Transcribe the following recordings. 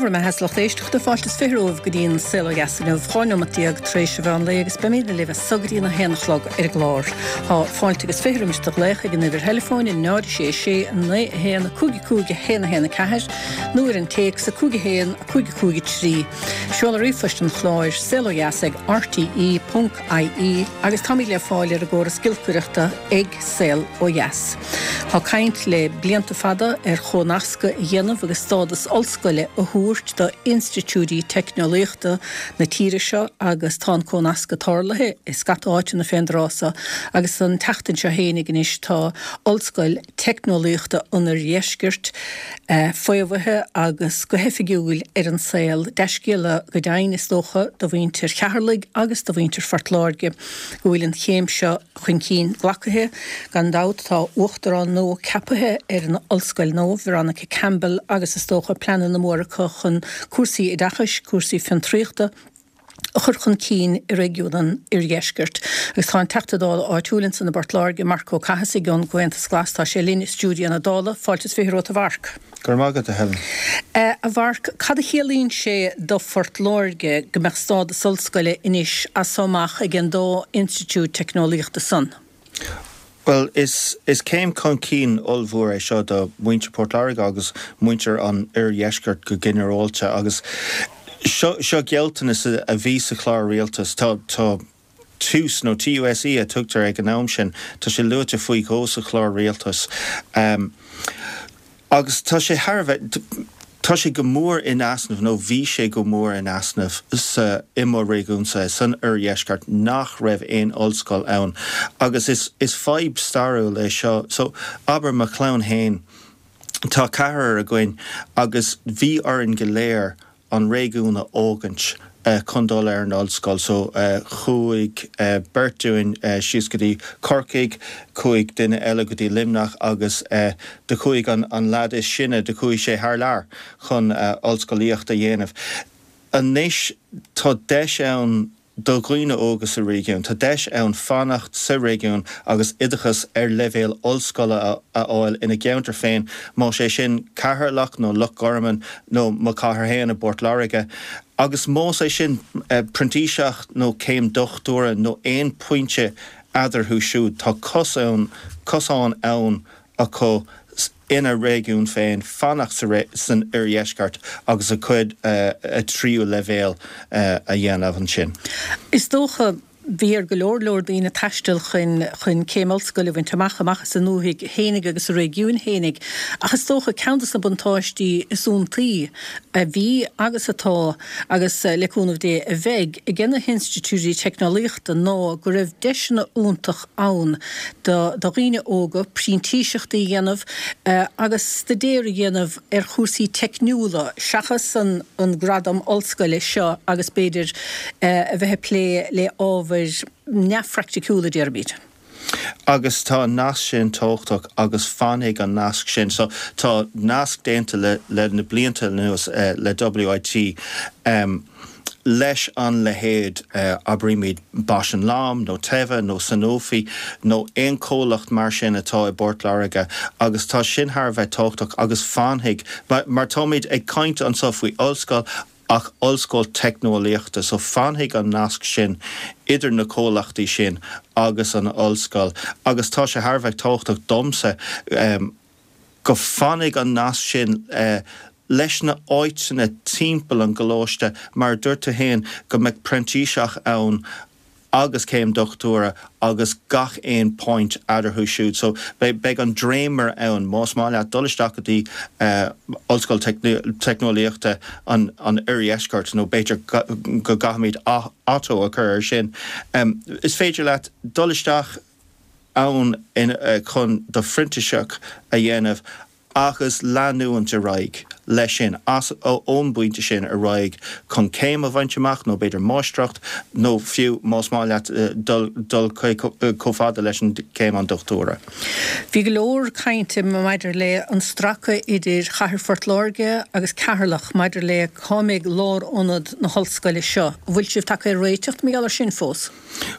Dé bhur mbeatha a lucht éisteachta, fáilte is 20 romhaibh go dtí an Saol Ó Dheas inniu, 12 neomat tar éis an mheán lae agus beimid libh as so go dtí an 1 a chlog ar an gclár. Tá fáilte agus 20 roimis do ghlaoch ag an uimhir theileafóin 0 6 6 9 1 5 5 1 1 4 nó ar an téacs 5 1 5 5 3. Seoladh ríomhphoist an chláir, saolodheas ag rte ponc ie agus táimid le fáil ar an gcóras giolcaireachta ag Saol Ó Dheas. Tá caint le blianta fada ar chomhnascadh a dhéanamh agus stádas ollscoile a thabhairt do institiúidí teicneolaíochta na tíre seo agus tá an comhnascadh tarlaithe i scata áiteanna fén dtráth so agus an tseachtain seo fhéinig anois tá Ollscoil Teicneolaíochta an Oirdheiscirt faomhaithe agus go hoifigiúil ar an saol. Dea-scéala go deimhin, is dócha, do mhuintir Cheatharlaigh agus do mhuintir Phort Láirge go bhfuil an chéim seo chun cinn glacaithe. Gan dabht tá uachtarán nua ceapaithe ar an ollscoil nua, Veronica Campbell, agus is dócha pleananna móra acu chun cúrsaí oideachais, cúrsaí fiontraíochta, a chur chun cinn i réigiún an Oirdheiscirt. Agus tá an Teachta Dála áitiúil ansan i bPort Láirge, Marc Ó Cathasaigh ón gComhaontas Glas, tá sé linn i stiúideo na Dála. Fáilte is 20 romhat a Mharc. Go raibh maith agat, a Helen. A Mharc, cad a chiallaíonn sé do Phort Láirge go mbeadh stádas ollscoile anois as so amach ag an dá institiúid teicneolaíochta san? Bhuel, is céim chun cinn ollmhór é seo do mhuintir Port Láirge agus muintir an oirdheiscirt go ginearálta agus seo seo gealltanas a bhí sa chlár rialtais. Tá tá tús, nó TUSE a tugtar ag an am sin, tá sé luaite faoi dhó sa chlár rialtais. Agus tá sé thar a bheith, tá sé go mór in easnamh, nó bhí sé go mór in easnamh sa, i mo réigiúnsa, san oirdheisceart, nach raibh aon ollscoil ann. Agus is, is fadhb stairiúil é seo. So, abair, mo chlann fhéin, tá ceathrar againn agus bhí orainn go léir an réigiún a fhágaint chun dul ar an ollscoil. So chuaigh beirt dúinn síos go dtí Corcaigh, chuaigh duine eile go dtí Luimneach agus do chuaigh an leaid is sine, do chuaigh sé thar lear chun ollscolaíocht a dhéanamh. Anois tá deis ann do dhaoine óga sa réigiún. Tá deis ann fanacht sa réigiún agus oideachas ar leibhéal ollscoile a fháil ina gceantar féin, más é sin Ceatharlach nó Loch Garman nó mo chathair féin i bPort Láirge. Agus más é sin printíseacht nó céim dochtúra nó aon pointe eadarthu siúd, tá cosán ann acu ina réigiún féin fanacht san oirdheisceart agus a gcuid tríú leibhéal a dhéanamh ansin. Is dócha, bhí ar go leor leor daoine taisteal chun chun céim ollscoile a bhaint amach, amach as a ndúthaigh fhéinig agus a réigiúin fhéinig. Ach is dócha, ceann de na buntáistí is iontaí a bhí agus atá, agus le cúnamh Dé a bheidh, aige na hinstitiúidí teicneolaíochta ná go raibh deiseanna iontach ann do dhaoine óga printíseachtaí a dhéanamh agus staidéar a dhéanamh ar chúrsaí teicniúla seachas an gradam ollscoile seo agus b'fhéidir a bheith ag plé le ábhair neamhphraiticiúla, déarfaimid. Agus tá an nasc sin tábhachtach agus fanfaidh an nasc sin. So tá nasc déanta le le na blianta anuas le WIT leis an leithéid abraímid Bausch and Lomb nó Teva nó Sanofi nó aon chomhlacht mar sin atá i bPort Láirge agus tá sin thar a bheith tábhachtach agus fanfaidh mar táimid ag caint anseo faoi ollscoil ach ollscoil teicneolaíochta so fanfaidh an nasc sin idir na comhlachtaí sin agus an ollscoil agus tá sé thar a bheith tábhachtach domsa go fanfaidh an nasc sin leis na áiteanna timpeall an gcoláiste mar a dúirt tú féin go mbeadh printíseach ann agus céim dochtúra agus gach aon point eadarthu siúd. So beidh an dréimire ann más maith leat dul isteach go dtí Ollscoil Teicneolaíochta an Oirdheiscirt nó b'fhéidir go gcaithfimid ATO a chur air sin. Is féidir leat dul isteach ann chun do phrintíseach a dhéanamh agus leanúint ar aghaidh leis sin, as, ón bpointe sin ar aghaidh chun céim a bhaint amach nó b'fhéidir máistreacht nó fiú más maith leat dul, dul chomh fada leis an céim an dochtúra. Bhí go leor cainte maidir le an stracadh idir chathair Phort Láirge agus Ceatharlach maidir le cá mbeidh lárionad na hollscoile seo. An bhfuil sibh tagtha ar réiteach mar gheall ar sin fós?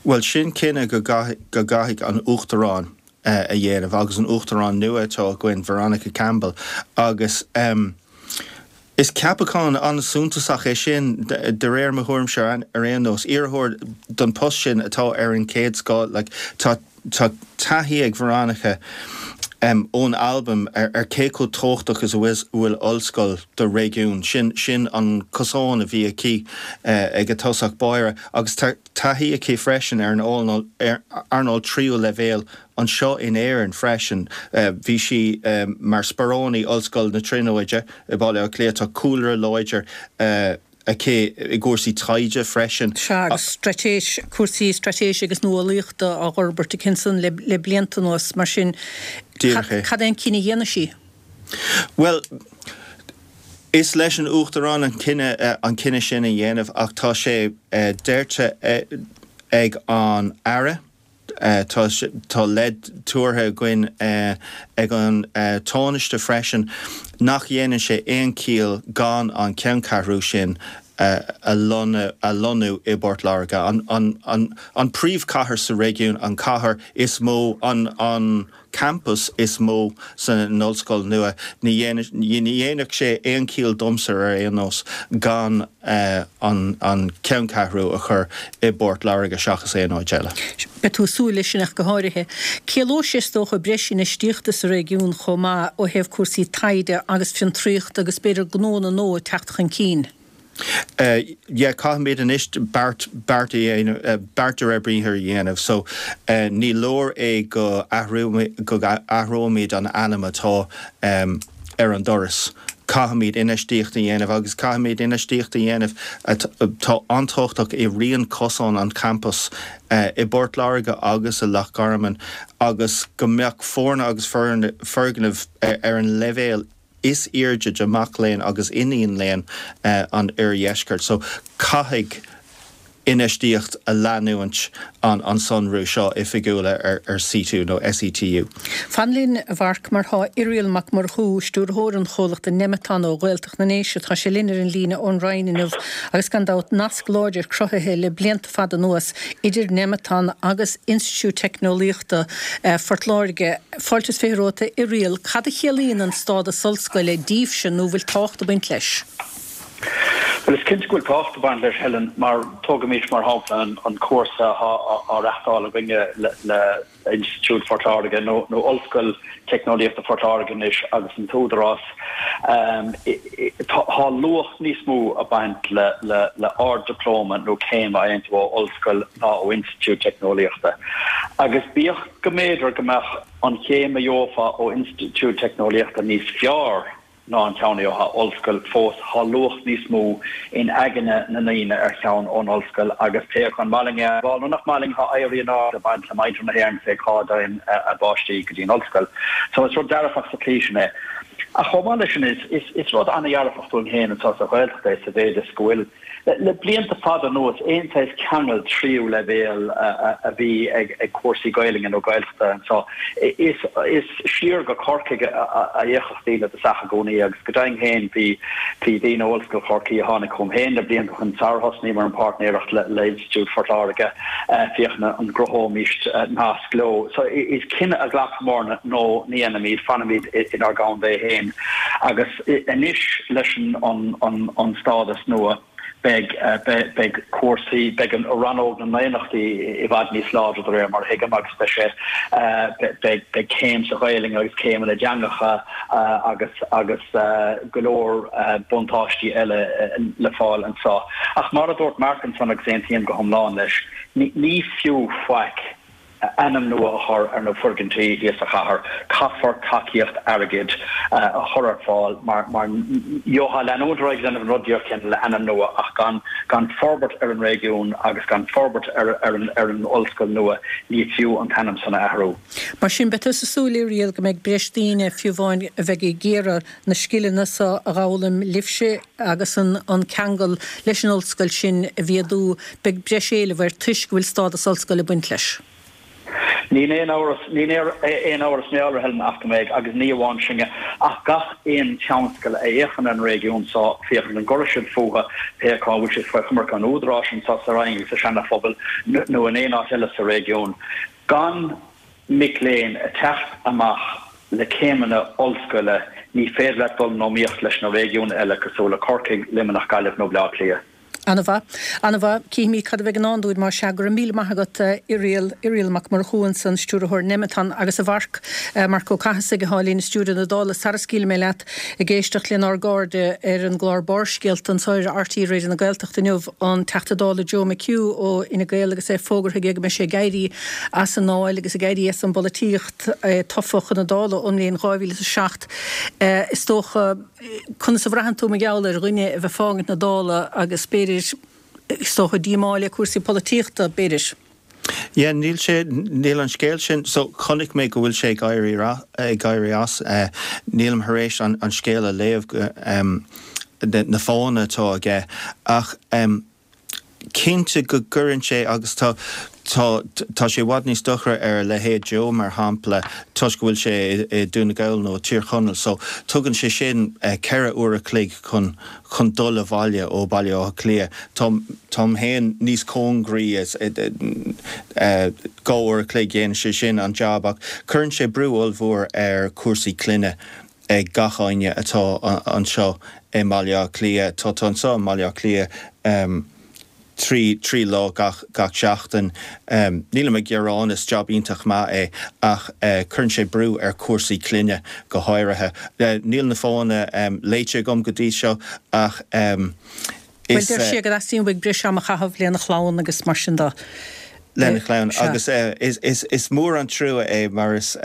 Bhuel, sin cinneadh go gcaithfidh an Uachtarán a dhéanamh agus an Uachtarán nua atá againn, Veronica Campbell, agus. Is ceapachán an-suntasach é sin, de réir mo thuairimse ar aon nós. Iarrthóir don post sin atá ar an chéad scoth. Like, tá tá taithí ag Veronica ón Albain ar cé chomh tábhachtach is a bhfuil ollscoil do réigiún. Sin sin an cosán a bhí aici ag a tosach báire agus tá taithí aici freisin ar an earnáil tríú leibhéal anseo in Éirinn freisin. Bhí sí mar sparánaí Ollscoil na Tríonóide i Baile Átha Cliath. Tá cúlra láidir aici i gcúrsaí taighde freisin. Sea, agus straitéis, cúrsaí straitéise agus nuálaíochta á bhforbairt aici ansan le blianta anuas. Mar sin, cad é an cinneadh a dhéanfaidh sí? Bhuel, is leis an Uachtarán an cinneadh an cinneadh sin a dhéanamh ach tá sé deirte ag an Aire, tá tá leid tabhartha againn ag an Tánaiste freisin nach dhéanann sé aon chiall gan an ceanncheathrú sin a lonnú i bPort Láirge, an príomhchathair sa réigiún, an chathair is mó, an campas is mó san ollscoil nua. Ní dhéanfadh sé aon chiall domsa ar aon nós gan an ceanncheathrú a chur i bPort Láirge seachas aon áit eile. Beidh tú ag súil leis sin ach go háirithe. Ciallóidh sé is dócha breis infheistíochta sa réigiún chomh maith ó thaobh cúrsaí taighde agus fiontraíochta agus b'fhéidir gnóanna nua ag teacht chun cinn. Yeah, caithfimid anois beart, beart a dhéanamh, beart de réir briathair a dhéanamh. So, ní leor é go athrú, go athróimid an ainm atá ar an doras. Caithfimid infheistíocht a dhéanamh agus caithfimid infheistíocht a dhéanamh atá an-tábhachtach i rian cosán an champais i bPort Láirge agus i Loch Garman agus go mbeadh foirne agus foirgnimh ar an leibhéal is airde do mhac léinn agus iníon léinn an oirdheiscirt. So caithfidh infheistíocht a leanúint an an sonrú seo oifigiúil ar SETU nó SETU. Fan linn, a Mharc, mar tá Irial Mac Murchú, stiúrthóir an chomhlachta Nemeton ó Ghaeltacht na nDéise, tá sé linn ar an líne ón Rinn inniu agus gan dabht nasc láidir cruthaithe le blianta fada anuas idir Nemeton agus Institiúid Teicneolaíochta Phort Láirge. Fáilte is romhat, a Irial. Cad a chiallaíonn an stádas ollscoile daoibhse nó bhfuil tábhacht ag baint leis? Bhuel, is cinnte go bhfuil tábhacht ag baint leis, Helen, mar tógaimis mar shampla an cúrsa atá á reachtáil againne le Institiúid Phort Láirge, nó Ollscoil Teicneolaíochta Phort Láirge anois, agus an tÚdarás. Tá luach níos mó ag baint le ard-dioplóma nó céim a fhaigheann tú ó ollscoil ná ó institiúid teicneolaíochta. Agus bíodh go mb'fhéidir go mbeadh an chéim a gheofá ó institiúid teicneolaíochta níos fearr ná an ceann a gheofá ó ollscoil, fós tá luach níos mó in aigne na ndaoine ar cheann ón ollscoil agus pé acu an maith linn é a admháil nó nach maith linn, tá éirí in airde ag baint le muintir na hÉireann fé cá dtéann a bpáistí go dtí an ollscoil. So is rud dearfach sa tslí sin é. Ach chomh maith leis sin is rud an-dhearfach dúinn féin anseo sa Ghaeltacht é sa mhéid is go bhfuil Le blianta fada anuas, aon saghas ceangal tríú leibhéal a bhí ag cúrsaí Gaelainne nó Gaeltachta anseo, is siar go Corcaigh a fhéachfadh daoine i dtosach i gcónaí agus go deimhin féin bhí daoine ó Ollscoil Chorcaí a tháinig chugam féin le blianta ó shin sar thosnaíomar an páirtnéireacht le Institiúid Phort Láirge féachaint an gcruthóimís nasc leo. So is cinneadh a ghlacfamarna nó ní dhéanfaimid, fanfaimid inár gcontae féin agus Anois leis an stádas nua beidh beidh cúrsaí, beidh an rannóg na ndaonnachtaí i bhfad níos láidre de réir mar a thuigim agus beidh sé beidh beidh céim sa Ghaelainn agus céimeanna i dteangacha agus agus go leor buntáistí eile le fáil anseo. Ach mar a dúirt Marc ansan agus aontaím go hiomlán leis, ní fiú faic ainm nua a chur ar na foirgintí thíos sa chathair, caithfear tacaíocht airgid a chur ar fáil mar mar gheofá leanúint ar aghaidh ag déanamh an rud díreach céanna le ainm nua ach gan gan forbairt ar an réigiún agus gan forbairt ar ar an ar an ollscoil nua ní fiú an t-ainm san a athrú. Mar sin, beidh tusa ag súil, a Irial, go mbeidh breis daoine, fiú amháin, a bheidh ag iarraidh na scileanna so a dh'fhoghlaim libhse agus an ceangal leis an ollscoil sin a mhéadú, beidh breis éileamh air toisc go bhfuil stádas ollscoile ag baint leis. Níl aon amhras, níl aon amhras mé a Helen ach go mbeidh, agus ní amháin sin ach gach aon tionscal a fhéachann ar an réigiún so, féachaint an gcuirfidh siad fúthu, pé acu an bhfuil siad faoi choimirce an Údaráis anso sa Rinn agus sa Seana-Phobal nó in aon áit eile sa réigiún, gan mic léinn ag teacht amach. Le céimeanna ollscoile, ní féidir leat dul in iomaíocht leis na réigiúin eile cosúil le Corcaigh, Luimneach, Gaillimh nó Baile Átha Cliath. An-mhaith. An-mhaith. Cífimid cad a bheidh i ndán dúinn, más ea. Go raibh míle maith agat, Irial. Irial Mac Murchú ansan, Stiúrthóir Nemeton. Agus a Mharc, Marc Ó Cathasaigh atá linn i stiúideo na Dála. Sara scaoilfidh mé leat, ag éisteacht lenár gcairde ar an gclár Barrscéalta anso ar RTÉ Raidió na Gaeltachta inniu, an Teachta Dála Joe McHugh ó Fhine Gael agus é fógartha aige go mbeidh sé ag éirí as an nDáil agus ag éirí as an bpolaitíocht, é tofa chun na Dála ón mbliain 2007. Is dócha. Conas a bhraitheann tú mar gheall ar dhuine a bheith ag fágaint na Dála agus b'fhéidir, is dócha, díomá le cúrsaí polaitíochta, b'fhéidir? Yeah, níl sé, níl an scéal sin, so chonaic mé go bhfuil sé ag éirí, ag éirí as, nílim thar éis an scéal a léamh, na fáthanna atá aige ach, cinnte go gcuireann sé agus tá tá tá sé i bhfad níos dochra ar a leithéid Joe mar shampla toisc go bhfuil sé i Dún na Gall nó Tír Chonaill so tugann sé sin 4 uair a chloig chun chun dul abhaile ó Baile Átha Cliath. Tá táim féin níos cóngaraí is 2 uair a chloig dhéanann sé sin an jab ach cuireann sé brú ollmhór ar chúrsaí clainne ag gach éinne atá anseo i mBaile Átha Cliath. Tá tú anseo i mBaile Átha Cliath 3, 3 lá gach, gach seachtain. Nílim ag gearán, is jab iontach maith é ach cuireann sé brú ar chúrsaí clainne go háirithe. Níl na fáthanna léite agam go dtí seo ach is. Bhuel, deir sé go dteastaíonn uaidh breis ama a chaitheamh lena chlann agus mar sin de. Lena chlann agus is, is, is mór an trua é mar is.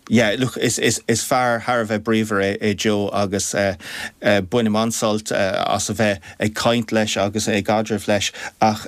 Yeah, look, is, is, is fear thar a bheith bríomhar é, é Joe agus bainim an-sult as a bheith ag caint leis agus i gcaidreamh leis ach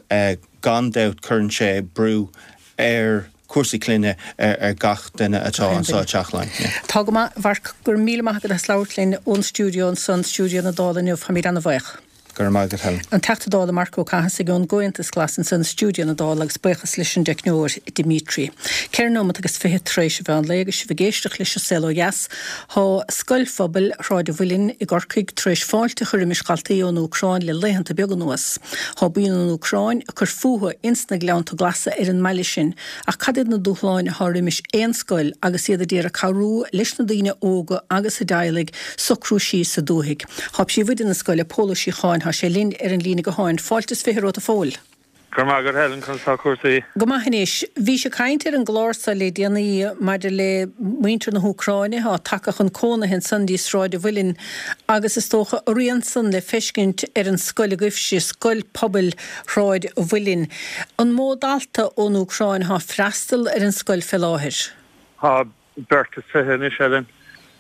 gan dabht cuireann sé brú ar chúrsaí clainne ar, ar gach duine atá anseo i dTeach Laighean. Yeah. Tá go maith, a Mharc, go raibh míle maith agat as labhairt linn ón stiúideo ansan, stiúideo na Dála inniu, táimid ana-bhaoch. Go raibh maith agat, Helen. An Teachta Dála Marc Ó Cathasaigh ón gComhaontas Glas ansan i stiúideo na Dála agus buíochas leis an dteicneoir Dimitri. 4 nóimeat agus 20 tar éis an mheán lae agus sibh ag éisteacht leis an Saol Ó Dheas. Thá Scoil Phobail Shráid an Mhuilinn i gCorcaigh tar éis fáilte a chur roimis dhaltaí ón Úcráin le laethanta beaga anuas. Thá buíon ón Úcráin ag cur fúthu ins na Gleannta Glasa ar an mbaile sin Ach cad iad na dúshláin athá roimis aon scoil agus iad a d'iarraidh cabhrú leis na daoine óga agus a dteaghlaigh socrú síos sa dúthaigh? Thá príomhoide na scoile, Pól Ó Síocháin, thá sé linn ar an líne gutháin. Fáilte is 20 romhat a Phóil. Go raibh maith agat Helen, conas tá cúrsaí? Go maith anois. Bhís ag caint ar an gclár so le déanaí maidir le muintir na hÚcráine athá tagtha chun cónaithe ansan dtí Sráid a' Mhuilinn agus is dócha a rian san le feiscint ar an scoil agaibhse, Scoil Pobail Shráid a' Mhuilinn. An mó dalta ón Úcráin athá freastal ar an scoil fé láthair? Tá beirt is 20 anois, Helen,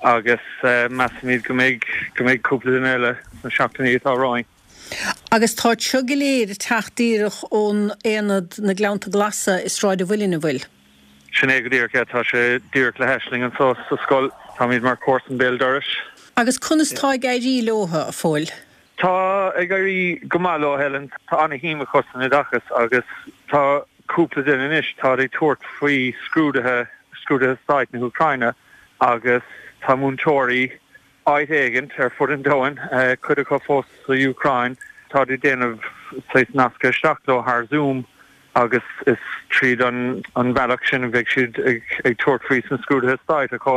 agus measaimid go mbeidh go mbeidh cúpla duine eile sna seachtainí atá romhainn. Agus táid seo go léir ag teacht díreach ón aonad na Gleannta Glasa i Sráid a' Mhuilinn, an bhfuil? Sin é go díreach é. Tá sé díreach le hais linn anso sa scoil. Táimid mar chomharsan béal dorais. Agus conas tá ag éirí leotha, a Phóil? Tá ag éirí go maith leo, Helen. Tá ana-shuim acu san oideachas agus tá cúpla duine anois, táid ag tabhairt faoi scrúduithe, scrúduithe stáit na hÚcráine agus tá múinteoirí áit éigint ar fud an domhain, cuid acu fós sa Úcráin, táid ag déanamh saghas nascadh isteach leo thar Zoom agus is tríd an bhealach sin a bheidh siad ag tabhairt faoi sna scrúduithe stáit acu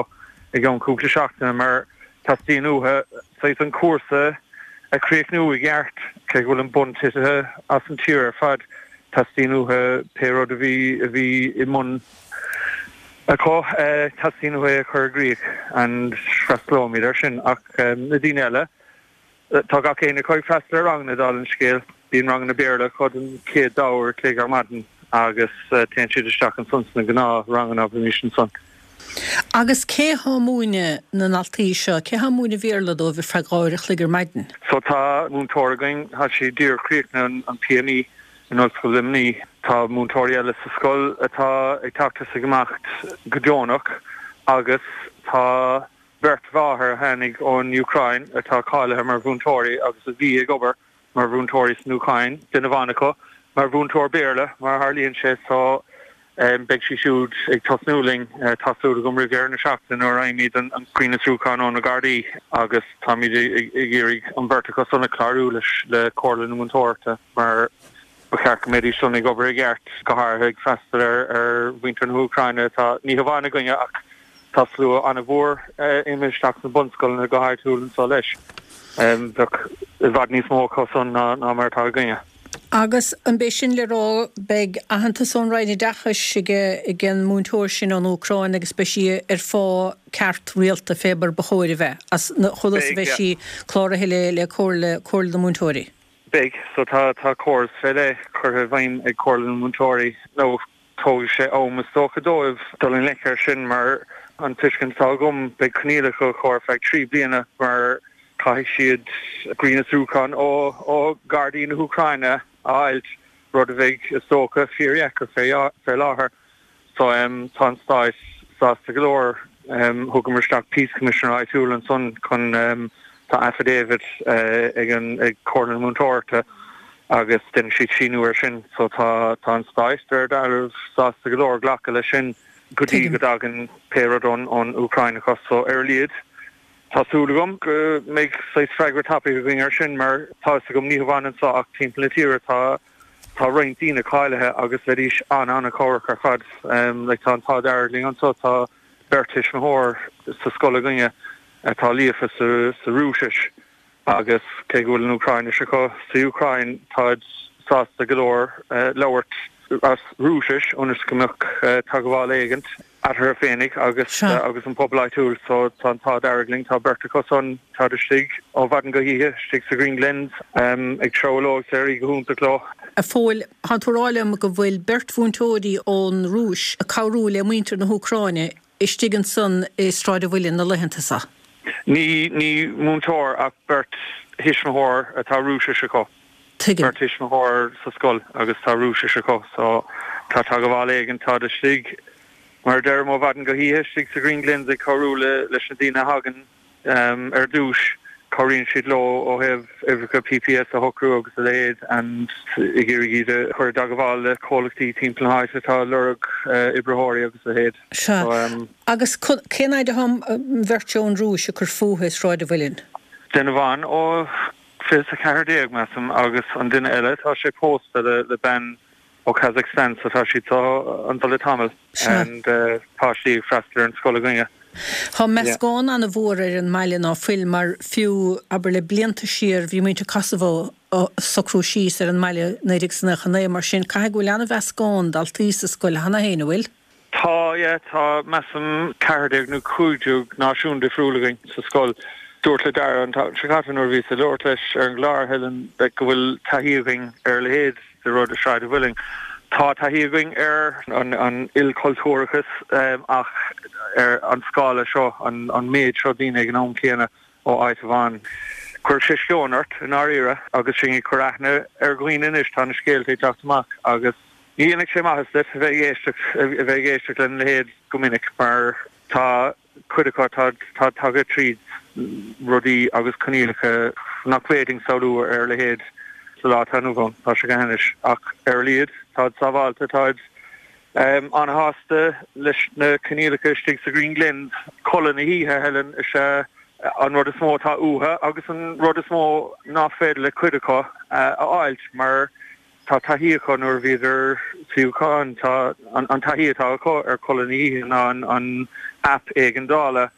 i gceann cúpla seachtaine mar teastaíonn uathu saghas an cúrsa a chríochnú i gceart, cé go bhfuil an bonn titithe as an tír ar fad, teastaíonn uathu pé rud a bhí a bhí i mbun acu, teastaíonn uathu é a chur i gcrích and freastalóimid air sin ach na daoine eile. Tá gach éinne acu ag freastal ar ranganna, dála an scéil. Bíonn ranganna Béarla acu don chéad dá uair a chloig ar maidin agus téann siad isteach ansan sna gnáth-ranganna, abraimis ansan. Agus cé thá múineadh na ndaltaí seo? Cé thá múineadh Bhéarla dóibh ar feadh dhá uair a chloig ar maidin? So tá múinteoir againn, tá sí díreach críochnaithe an PME in Ollscoil Luimnigh. Tá múinteoirí eile sa scoil atá ag teacht is ag imeacht go deonach agus tá Beirt mháthair a tháinig ón Úcráin atá cáilithe mar mhúinteoirí agus a bhí ag obair mar mhúinteoirí san Úcráin, duine amháin acu mar mhúinteoir Béarla, mar a tharlaíonn sé, so beidh sí siúd ag tosnú linn, tá súil agam, roimh dheireadh na seachtaine nuair a fhaighimid an grinnfhiosrúchán ó na Gardaí agus táimid ag iarraidh an bheirt acu san a chlárú leis le Comhairle na Múinteoireachta mar ba cheart go mbeidís san ag obair i gceart, go háirithe ag freastal ar mhuintir na hÚcráine atá ní hamháin againne ach. Tá slua an-mhór imithe isteach sna bunscoileanna go háitiúil anseo leis. Bheadh i bhfad níos mó acu san ná mar atá againne. Agus an b'é sin le rá, beidh aitheantas ón Roinn Oideachais ag an múinteoir sin ón Úcráin agus beidh sí ar phá ceart rialta fé mar ba chóir a bheith, as chomh luath is a bheidh sí cláraithe le Comhairle, Comhairle na Múinteoirí? Beidh. So tá, tá córas fé leith curtha i bhfeidhm ag Comhairle na Múinteoirí nó tógfaidh sé am is dócha dóibh dul i ngleic air sin mar an tuiscint atá agam beidh coinníollacha acu ar feadh 3 bliana mar caithfidh siad grinnfhiosrúchán ó ó Ghardaí na hÚcráine a fháilt, rud a bheidh is dócha fíordheacair fé láthair. So tá an Stát sásta go leor. Thugamar isteach Peace Commissioner áitiúil ansan chun tá affidavit ag an ag Comhairle na Múinteoireachta agus déanfaidh siad síniú air sin. So tá tá an Stát de réir dealraimh sásta go leor glacadh leis sin go dtí go dtagann pé rud ón ón Úcráin acu. So ar a laghad tá súil agam go mbeidh saghas freagra tapaidh againn air sin mar tá fhios agam ní hamháin anso ach timpeall na tíre tá Tá roinnt daoine cáilithe agus bheidís an-an-chabhrach ar fad. Like tá an t-ádh dearg linn anso, tá beirt thuismitheoir sa scoil againne atá líofa sa sa Rúisis agus cé go bhfuil an Úcráinis acu sa Úcráin táid sásta go leor labhairt as Rúisis ionas go mbeadh teagmháil éigint eatarthu féinig agus agus an pobal áitiúil so tá an t-ádh dearg linn, tá beirt acu san, táid istigh ó mhaidin go hoíche istigh sa Green Glens ag treabhadh leo agus ag éirí go hiontach leo. A Phóil, tánn tú a rá liom go bhfuil beirt mhúinteoirí ón Rúis ag cabhrú le muintir na hÚcráine istigh ansan i Sráid an Mhuilinn na laethanta seo? Ní, ní múinteoir ach beirt thuismitheoir atá Rúisis acu. Tuigim. Beirt thuismitheoir sa scoil agus tá Rúisis acu so tá teagmháil éigin, táid istigh mar a deirim ó mhaidin go hoíche istigh sa Green Glens ag cabhrú le leis na daoine a thagann ar dtús, cabhraíonn siad leo ó thaobh uimhreacha PPS a shocrú agus a leithéid and ag iarraidh iad a chur i dteagmháil le comhlachtaí timpeall na háite atá ag lorg oibritheoirí agus a leithéid. Sea. Agus cén fhaid atá an bheirt ón Rúis ag cur fúthu i Sráid an Mhuilinn? Duine amháin ó 20 14, measaim, agus an duine eile, tá sé pósta le le bean ó Kazakhstan so tá siad anseo le tamall and páistí ag freastal ar an scoil againne. Tá meascán an-mhór ar an mbaile ná fuil mar fiú, abair le blianta siar bhí muintir Kosovo ag socrú síos ar an mbaile 1999 mar sin caithfidh go bhfuil an-mheascán daltaí sa scoil cheana féin, an bhfuil? Tá, yeah, tá, measaim, 14 nó 15 náisiún difriúil againn sa scoil. Dúrt le Dara an tseachtain seo caite nuair a bhíos ag labhairt leis ar an gclár, Helen, like, go bhfuil taithí againn ar a leithéid de rud i Sráid an Mhuilinn. Tá taithí againn ar an ilchultúrachas ach ar an scála seo, an méid seo daoine ag an am céanna ó áit amháin. Cuirfidh sé sceon ort, i ndáiríre, agus sinn ag cur aithne ar dhaoine anois, tá na scéalta ag teacht amach agus. Ní dhéanfaidh sé maitheas duit a bheith ag éisteacht, a bheith ag éisteacht lena leithéid go minic mar tá cuid acu atá, atá tagtha tríd rudaí agus coinníollacha nach bhféadfainn samhlú ar a leithéid sa lá atá inniu ann. Tá sé go hainnis. Ach ar a laghad, táid sábháilte, táid an-shásta leis na coinníollacha istigh sa Green Glens. Codladh na hoíche, Helen, is ea an rud is mó atá uathu agus an rud is mó ná féidir le cuid acu a fháilt mar Tá taithí acu nuair a bhíodar sa Úcráin. Tá an taithí atá acu ar codladh na hoíche ná an aip éigeandála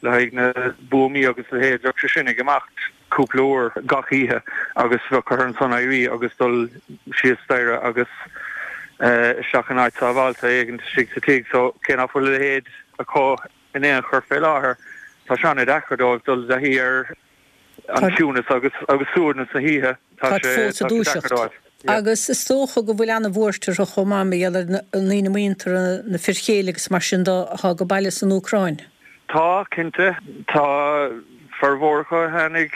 le haghaidh na buamaí agus a leithéid. Bheadh sé sin ag imeacht cúpla uair gach oíche agus bheadh orthu ansan éirí agus dul síos staighre agus isteach in áit sábháilte éigin istigh sa tigh. So cé nach bhfuil a leithéid acu in aon chor fé láthair, tá sé an-deacair dóibh dul i dtaithí ar an ciúnas agus agus suaimhneas na hoíche, tá sé fós ag dúiseacht. Agus is dócha go bhfuil an-bhuairt orthu chomh maith mar gheall ar na ndaoine muinteartha, na fir chéile agus mar sin de atá ag baile san Úcráin. Tá, cinnte. Tá formhór acu a tháinig,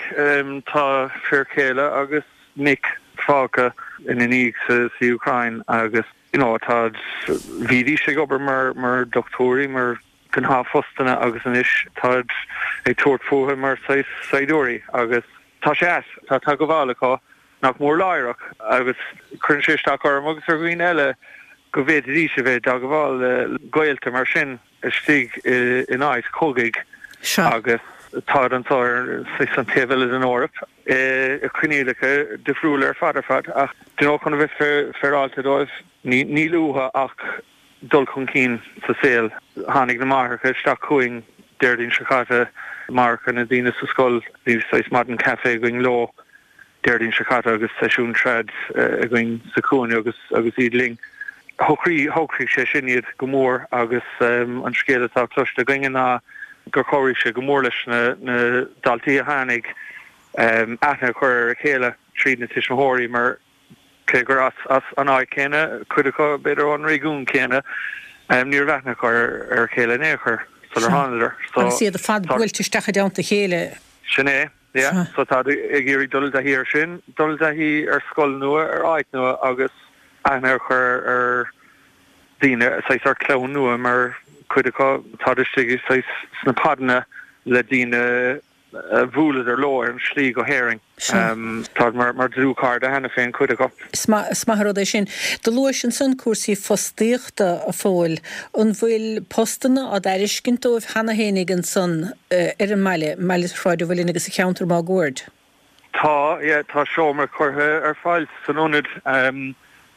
tá fir chéile agus mic fágtha ina ndiaidh sa Úcráin agus you know tá, bhídís ag obair mar mar dochtúirí, mar gnáthphostanna agus anois táid ag tabhairt fúthu mar saghas saighdiúirí agus tá sé ait, tá teagmháil acu nach mór láithreach agus cuireann sé isteach orm agus ar dhaoine eile go bhféadfaidís a bheith i dteagmháil le gaolta mar sin istigh in áit chogaidh agus táid anseo ar saghas an taobh eile den Eoraip i coinníollacha difriúla ar fad ar fad ach you know chun a bheith féaráilte dóibh níl uathu ach. dul chun cinn sa saol. Tháinig na máithreacha isteach chugainn Déardaoin seo caite, máithreacha na daoine sa scoil, bhí saghas maidin caife againn leo Déardaoin seo caite agus seisiún trad againn sa chúinne agus agus iad linn. Shocraigh shocraigh sé sin iad go mór agus an scéal atá cloiste againne ná gur chabhraigh sé go mór leis na na daltaí a tháinig aithne a chur ar a chéile tríd na tuismitheoirí mar Cé gur as an áit chéanna cuid acu, b'fhéidir ón réigiún céanna, ní raibh aithne acu ar a chéile in aon chor sular thánadar. So, Agus iad ar fad buailte isteach i dteannta a chéile. Sin é, yeah. So táid ag iarraidh dul i dtaithí ar sin, dul i dtaithí ar scoil nua, ar áit nua agus aithne a chur ar daoine, saghas ar chlann nua mar cuid acu táid istigh saghas sna podanna le daoine a bhuaileadar leo ar an slí go hÉirinn. Táid mar dlúthchairde cheana féin, cuid acu. Is maith an rud é sin. Do luais ansan cúrsaí fostaíochta, a Phóil. An bhfuil postanna á dtairiscint dóibh cheana fhéinig ansan ar an mbaile, i mbaile Shráid an Mhuilinn agus sa cheantar máguaird? Tá, yeah, tá seomra curtha ar fáil san ionad.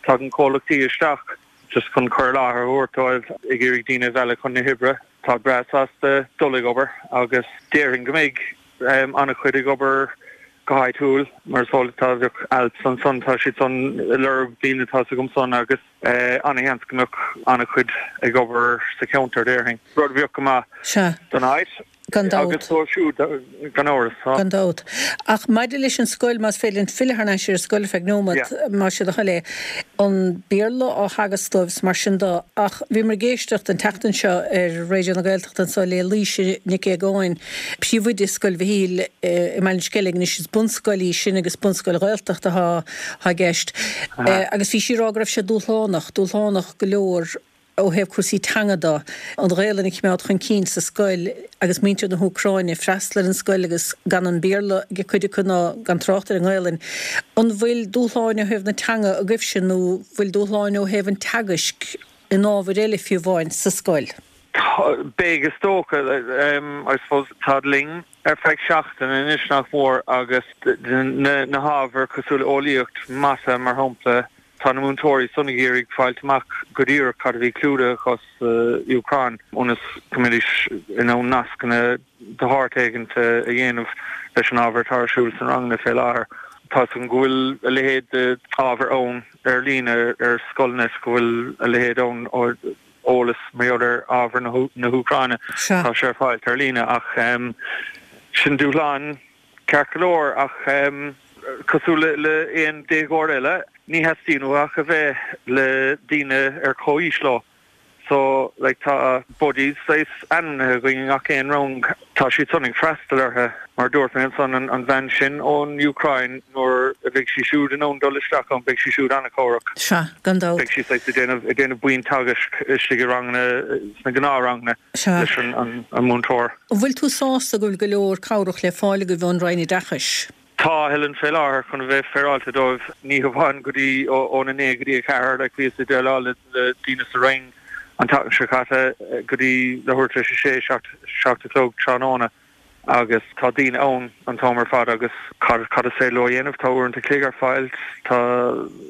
Tagann comhlachtaí isteach. just chun cur i láthair a thabhairt dóibh, ag iarraidh daoine a mhealladh chun na hoibre. Táid breá sásta dul ag obair agus déarfainn go mbeidh an-chuid ag obair go háitiúil, mar is eol tá bheadh Alps ansan, tá siad san ag lorg daoine tá's agam san agus an-sheans go mbeadh an-chuid ag obair sa cheantar déarfainn, rud a bheadh go maith don áit. Gan dabht. Agus dóibh siúd, gan amhras. Gan dabht. Ach maidir leis an scoil, más féidir linn filleadh thar n-ais ar an scoil ar feadh neomat, más é do thoil é. An Béarla á theagasc dóibh is mar sin de, ach bhíomar ag éisteacht an tseachtain seo ar Raidió na Gaeltachta anseo le Laoise Nic Aogáin, príomhoide Scoil Mhichíl i mBaile an Sceilg. Anois is bunscoil í sin agus bunscoil Ghaeltachta atá i gceist. Agus bhí sí ag rá go raibh sé dúshlánach, dúshlánach go leor, ó thaobh cúrsaí teanga de, an Ghaelainn a choimeád chun cinn sa scoil agus muintir na hÚcráine ag freastal ar an scoil agus gan an Béarla ag cuid acu ná gan trácht ar an nGaelainn. An bhfuil dúshláin ó thaobh na teanga agaibhse nó bhfuil dúshláin ó thaobh an teagaisc in ábhair eile fiú amháin sa scoil? Beidh is dócha. I suppose táid linn ar feadh seachtaine anois nach mór agus na hábhair cosúil le eolaíocht, mata mar shampla, Tá na múinteoirí san ag iarraidh fáilt amach go díreach cad a bhí clúdaithe acu sa Úcráin ionas go mbeidís in ann nascanna de shórt éigint a dhéanamh leis an ábhar atá ar siúl sna ranganna fé láthair. Tá's agam go bhfuil a leithéid de ábhar ann ar líne ar Scoilnet, go bhfuil a leithéid ann eolas mar gheall ar ábhar na hÚcráine. Tá sé ar fáilt ar líne ach sin dúshlán Ceart go leor, ach cosúil le aon déagóir eile, ní theastaíonn uathu ach a bheith le daoine ar comhaois leo. So, like, tá buddies saghas ainmnithe againn i ngach aon rang. Tá siad san ag freastal orthu. Mar a dúirt mé ansan, an bhean sin ón Úcráin, nuair a bheidh sí siúd in ann dul isteach ann, beidh sí siúd an-chabhrach. Sea, gan dabht. Beidh sí saghas ag déanamh, ag déanamh buíon teagaisc istigh i ranganna, sna gnáthranganna. Sea. leis an múinteoir. An bhfuil tú sásta go bhfuil go leor cabhrach le fáil agaibh ón Roinn Oideachais? Tá, a Helen, fé láthair, chun a bheith féaráilte dóibh, ní hamháin go dtí óna 9 go dtí 4, like bhíos ag déileáil le daoine sa Roinn an tseachtain seo caite go dtí leathuair tar éis a sé, 7 a chlog tráthnóna. agus tá daoine ann an t-am ar fad agus cad cad is féidir leo a dhéanamh? Tá uaireanta chloig ar fáil, tá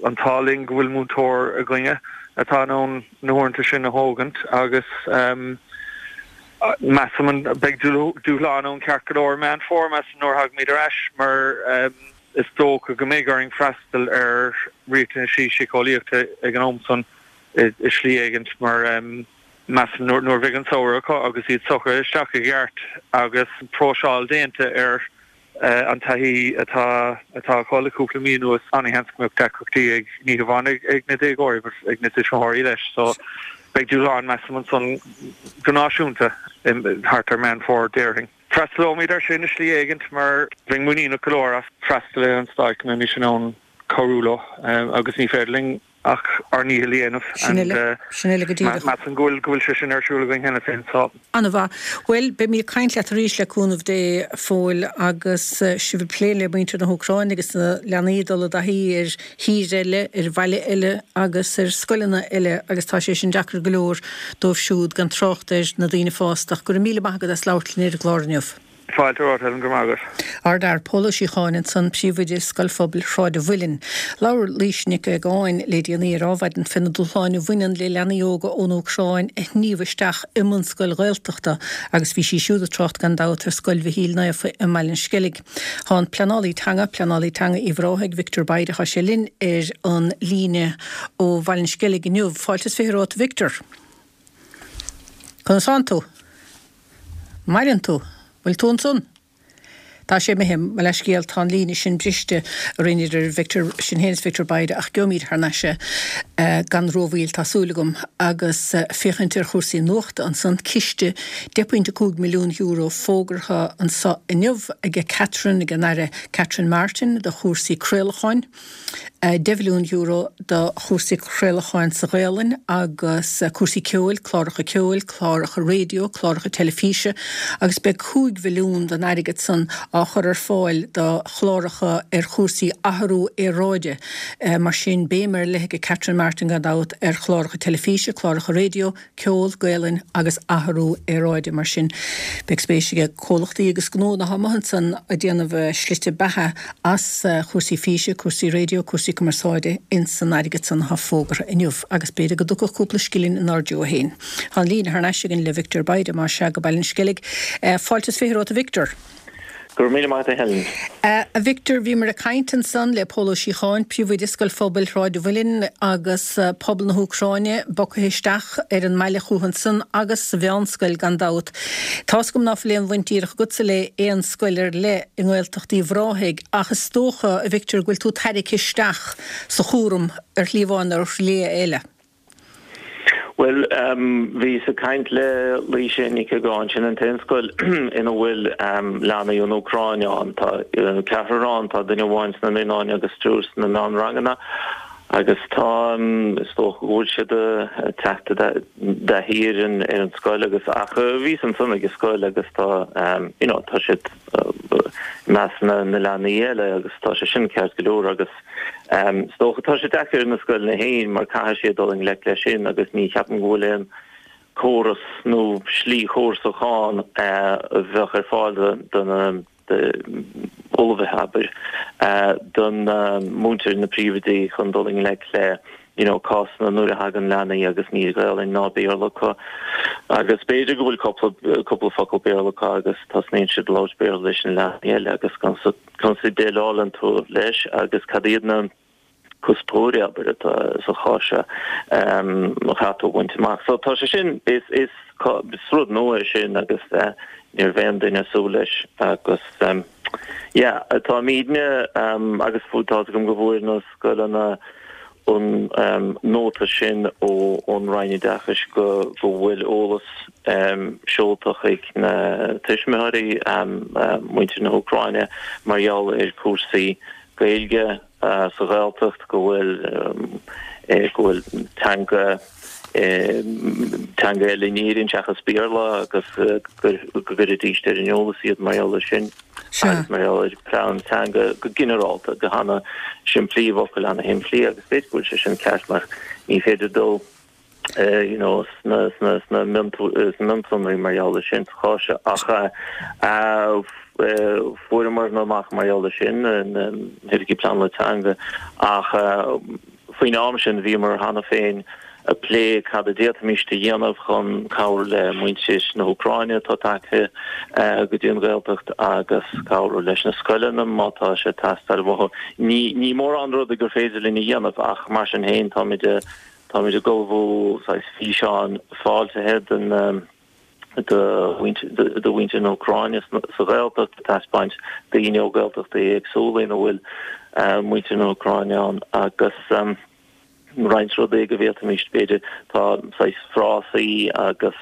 an t-ádh linn go bhfuil múinteoir againne atá in ann na huaireanta sin a thógaint agus measaim an beidh dúshlán ann ceart go leor i Meán Fómhair measaim nuair a thagaimid ar ais mar is dócha go mbeidh orainn freastal ar riachtanaisí síceolaíochta ag an am san i slí éigint mar Measaim nuair a bheidh an samhradh acu agus iad socraithe isteach i gceart agus próiseáil déanta ar an taithí atá atá acu le cúpla mí anuas, an-sheans go mbeadh deacrachtaí ag, ní hamháin ag na déagóirí but ag na tuismitheoirí leis. So beidh dúshlán measaim ansan go náisiúnta thart ar Meán Fómhair déarfainn. Freastalóimid air sin i slí éigint mar bheinn muiníneach go leor as freastalaithe an stáit go mbeimis in ann cabhrú leo agus ní féidir linn ach ár ndícheall a dhéanamh Sin uile, sin uile go díreach. measaim go bhfuil, go bhfuil sé sin ar siúl againn cheana féin so. An-mhaith. Bhuel, beimid ag caint leat arís le cúnamh Dé, a Phóil, agus sibh ag plé le muintir na hÚcráine agus na leanaí ag dul i dtaithí ar thír eile, ar bhaile eile agus ar scoileanna eile agus tá sé sin deacair go leor dóibh siúd, gan trácht ar na daoine fásta. Ach go raibh míle maith agat as labhairt linn ar an gclár inniu. Fáilte romhat, Helen, go raibh maith agat. Ardfhear Pól Ó Síocháin ansan, Príomhoide Scoil Phobail Shráid an Mhuilinn. Labhair Laoise Nic Aogáin le déanaí ar Adhmhaidin fé na dúshláin a bhaineann le leanaí óga ón Úcráin a shníomh isteach i mbunscoil Ghaeltachta agus bhí sí siúd ag trácht gan dabht ar Scoil Mhichíl Naofa i mBaile an Sceilg. Tá an pleanálaí teanga, pleanálaí teanga Uíbh Ráthaigh, Victor Bayda, tá sé linn ar an líne ó Bhaile an Sceilg inniu. Fáilte is 20 romhat a Victor. Conas tánn tú? Maireann tú? Bhfuil tú ansan? Tá sé imithe, mo leithscéal, tá an líne sin briste orainn idir Victor, sinn féin is Victor Bayda ach gheobhaimid thar n-ais é gan rómhoill, tá súil agam. Agus féachaint ar chúrsaí nuachta ansan, ciste €10.5 milliún fógartha anso inniu aige Catherine, ag an Aire Catherine Martin do chúrsaí craolacháin. €10 mhilliún do chúrsaí craolacháin sa Ghaelainn agus cúrsaí ceoil, cláracha ceoil, cláracha raidió, cláracha teilifíse agus beidh 5 mhilliún den airgead san á chur ar fáil do chláracha ar chúrsaí athrú aeráide. Mar sin, béim ar leith ag Catherine Martin gan dabht ar chláracha teilifíse, cláracha raidió, ceol, Gaelainn agus athrú aeráide. Mar sin, beidh spéis ag comhlachtaí agus gnónna atá amuigh ansan ag déanamh a slite beatha as chúrsaí físe, cúrsaí raidió, cúrsaí cumarsáide ins an airgead san atá fógartha inniu. Agus b'fhéidir go dtiocfadh cúpla scilling inár dtreo féin. Tá an líne thar n-ais againn le Victor Bayda, más ea, go Baile an Sceilg. Fáilte is 20 romhat a Victor. Go raibh míle maith agat a Helen. A Victor, bhíomar ag caint ansan le Pól Ó Síocháin, Príomhoide Scoil Phobail Shráid an Mhuilinn agus pobal na hÚcráine bogtha isteach ar an mbaile chucu ansan agus sa mheánscoil gan dabht. Tá's agam ná fuil aon bhaint díreach agatsa le aon scoil ar leith i nGaeltacht Uíbh Ráthaigh ach is dócha, a Victor, go bhfuil tú tarraicthe isteach sa chúram ar shlí amháin nó ar shlí eile. Bhuel, bhíos ag caint le Laoise Nic Aogáin, sin an t-aon scoil ina bhfuil leanaí ón Úcráin ann. Tá ceathrar ann, tá duine amháin sna naíonáin agus triúr sna meánranganna agus tá, is dócha go bhfuil siad ag teacht i dtaithí ar an ar an scoil agus ach bhíos ansan ag an scoil agus tá you know tá siad i measc na leanaí eile agus tá sé sin ceart go leor agus Is dócha, tá sé deacair ar na scoileanna féin mar caithfidh siad dul i ngleic leis sin agus ní cheapaim go bhfuil aon córas nó slí chórasach ann a bheadh ar fáil do na ullmhaithe, abair, don múinteoir, na príomhoidí chun dul i ngleic le you know cásanna nuair a thagann leanaí agus níl Gaelainn ná Béarla acu agus b'fhéidir go bhfuil cúpla cúpla focal Béarla acu agus tosnaíonn siad ag labhairt Béarla leis na leanaí eile agus Conas a dhéileálann tú leis agus cad iad na cuspóirí, abair, atá sa chás seo a chaithfidh tú a bhaint amach. So tá sé sin, is, is, is rud nua é sin agus ní raibh aon duine ag súil leis agus yeah, táimidne agus tá's agam go bhfuair na scoileanna an nóta sin ón Roinn Oideachais go bhfuil eolas seolta chuig na tuismitheoirí, muintir na hÚcráine, mar gheall ar cúrsaí Gaeilge sa Ghaeltacht, go bhfuil go bhfuil teanga teanga eile in Éirinn seachas Béarla agus go gcuirfidís ar an eolas iad mar gheall air sin. Agus mar gheall ar plean teanga go ginearálta, go hana simplí, i bhfocail ana shimplí agus b'fhéidir go bhfuil sé sin ceart mar ní féidir dul you know sna sna sna mionsonraí mar gheall ar sin sa chás seo ach fuaireamar amach mar gheall ar sin na hoifigigh pleanála teanga ach Faoin am sin bhíomar cheana féin ag plé cad a d'fhéadfaimis a dhéanamh chun cabhrú le muintir na hÚcráine atá tagtha go dtí an Ghaeltacht agus cabhrú leis na scoileanna má tá sé ag teastáil uathu. Ní mórán rudaí gur féidir linn a dhéanamh ach mar sin féin táimid táimid ag ullmhú saghas físeáin fáiltithe don do mhuintir na hÚcráine sa Ghaeltacht, ag taispeáint daoine ó Ghaeltachtaí éagsúla ina bhfuil muintir na hÚcráine ann agus roinnt rudaí go bhféadfaimis, b'fhéidir, tá saghas frásaí agus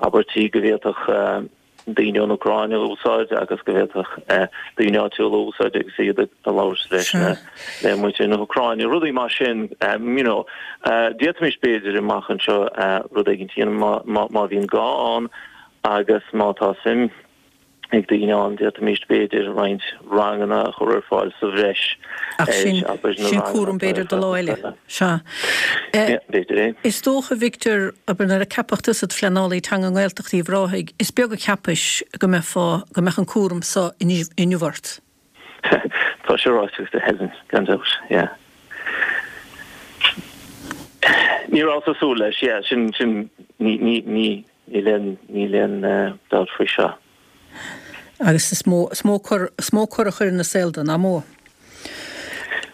abairtí go bhféadfadh daoine ón Úcráin a úsáid agus go bhféadfadh daoine áitiúla a úsáid agus iad ag labhairt leis na le muintir na hÚcráine, rudaí mar sin, you know. D'fhéadfaimis b'fhéidir amach anseo rud éigin a dhéanamh má bhíonn gá ann agus má tá suim. Ag daoine ann, d'fhéadfaimis b'fhéidir roinnt ranganna a chur ar fáil sa bhreis Ach sin, abair, na sin cúram b'fhéidir do lá eile. Sea. B'fhéidir é. Is dócha, a Victor, abair, nuair a ceapadh tusa id phleanálaí teanga i nGaeltacht Uíbh Ráthaigh, is beag a cheapais go mbeifeá, go mbeadh an cúram so inniu ort. Tá sé ráite agat, a Helen, gan dabht, yeah. Ní rabhas ag súil leis, yeah, sin, sin, ní, ní, ní, Níl aon, níl aon dabht faoi seo. Agus is mó, is mó cor, is mó cor a chuireann i saol de, nach mó?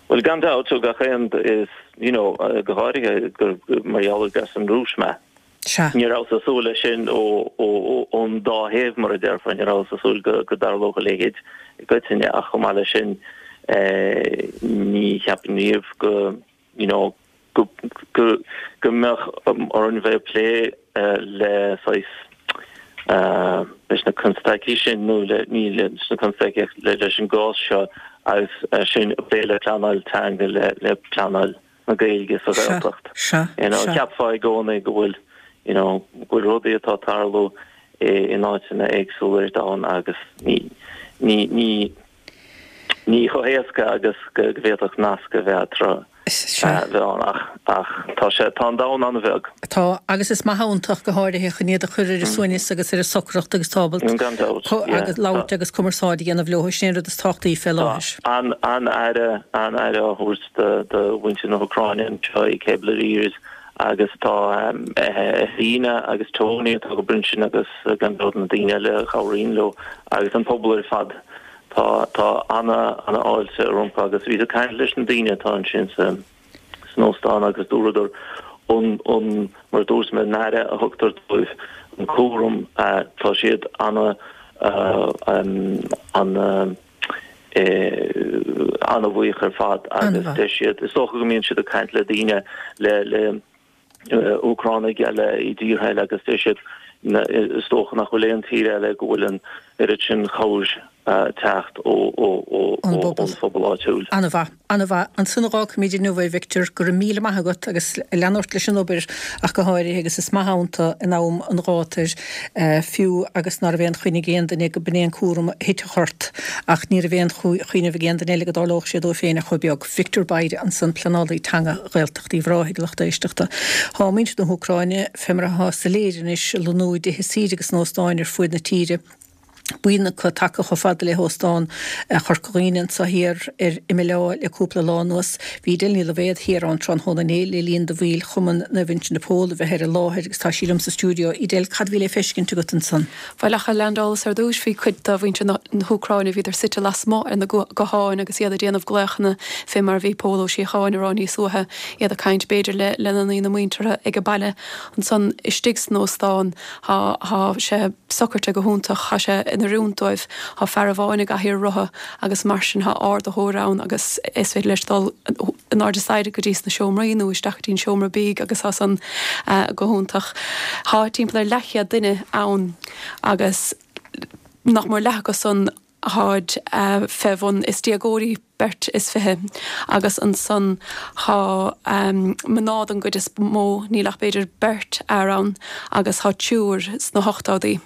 Bhuel, gan dabht, ó gach aon, is, you know, go háirithe gur, mar gheall gur as an Rúis mé. Sea. Ní rabhas ag súil leis sin ó, ó, ón dá thaobh, mar a déarfá, ní rabhas ag súil go, go dtarlódh a leithéid i gcoitinne ach chomh maith leis sin, eh, ní cheapfainn riamh go, you know, go, go, go mbeadh orainn bheith ag plé le saghas, leis na constaicí sin nó le, ní leis na constaicí ach le, leis an gcás seo agus sinn ag plé le pleanáil teanga, le, le pleanáil na Gaeilge sa Ghaeltacht. Sea, You know, sea. cheapfá i gcónaí go bhfuil, you know, go bhfuil rudaí atá ag tarlú i, in áiteanna éagsúla ar domhan agus ní, ní, ní, Ní chomh héasca agus go bhféadfadh nasc a bheith eatarthu a bheith ann ach ach tá sé, tá an domhan an-bheag. Tá, agus is maith ann ach go háirithe chun iad a chur ar a suaimhneas agus ar a socracht agus tá ábalta Gan dabht, yeah. agus labhairt agus cumarsáid a dhéanamh leo, sin é an rud is tábhachtaí fé láthair. Tá an-aire, an-aire á thabhairt do do mhuintir na hÚcráine anseo i Kepler Ears agus tá Helena agus Tony atá ag obair ansin agus gan dabht na daoine eile a chabhraíonn leo agus an pobal ar fad. Tá, tá ana, ana fháilte rompu agus bhíos ag caint leis na daoine atá ansin sa, san óstán agus dúradar an, an, mar a dúirt mé, an aire a thugtar dóibh, an cúram, tá siad ana, ana, ana bhuíoch ar fad agus deir siad, is dócha go mbíonn siad ag caint le daoine, le, le, Úcránaigh eile i dtíortha eile agus deir siad is dócha nach bhfuil aon tír eile go bhfuil an oiread sin cabhair teacht ón phobal áitiúil. An-mhaith, an-mhaith. Ansan a dh'fhágfaimid inniu é, Victor. Go raibh míle maith agat agus lean ort leis an obair ach go háirithe agus is maith ann tú in am an ghátair fiú agus ná raibh aon choinne ag aon duine go b'in é an cúram a thitfeadh ort ach ní raibh aon chuimhneamh ag aon duine eile go dtarlódh sé dóibh féin ach chomh beag. Victor Bayda ansan, pleanálaí teanga Ghaeltacht Uíbh Ráthaigh, lucht éisteachta. Thá muintir na hÚcráine, fé mar athá soiléir anois, ag lonnú i dtithe saoire agus in óstáin ar fuaid na tíre. Buíon acu tagtha chomh fada le hÓstán Chorca Dhuibhne anso thiar ar Imeall Átha le cúpla lá anuas. Bhí Edel Ní Loibhéad thiar ann tráthnóna inné le linn do bhaill Chumann Naomh Uinseann de Pól a bheith ar an láthair agus tá sí liom sa stiúideo. Edel, cad a bhí le feiscint agat ansan? Bhuel, ach a leaindeálas ar dtúis, bhí cuid de mhuintir na hÚcráine, bhíodar suite lasmuigh ar na gutháin agus iad ag déanamh glaochanna fé mar a bhí Pól Ó Síocháin a rá níos luaithe, iad ag caint b'fhéidir le lena ndaoine muinteartha ag an baile. Ansan istigh san óstán, Thá, thá sé socraithe go hiontach, thá sé in oiriúint dóibh. Thá fear amháin i gcathaoir rotha agus mar sin thá ardaitheoir ann agus is féidir leis dul in airde staighre go dtí sna seomraí nó isteach go dtí an seomra bídh agus thá san go hiontach. Thá timpeall ar leathchéad duine ann agus nach mór leath acu san tháid fé bhun, is déagóirí beirt is 20 agus ansan thá mná don gcuid is mó, níl ach b'fhéidir beirt fhear ann agus thá triúr sna hochtóidí.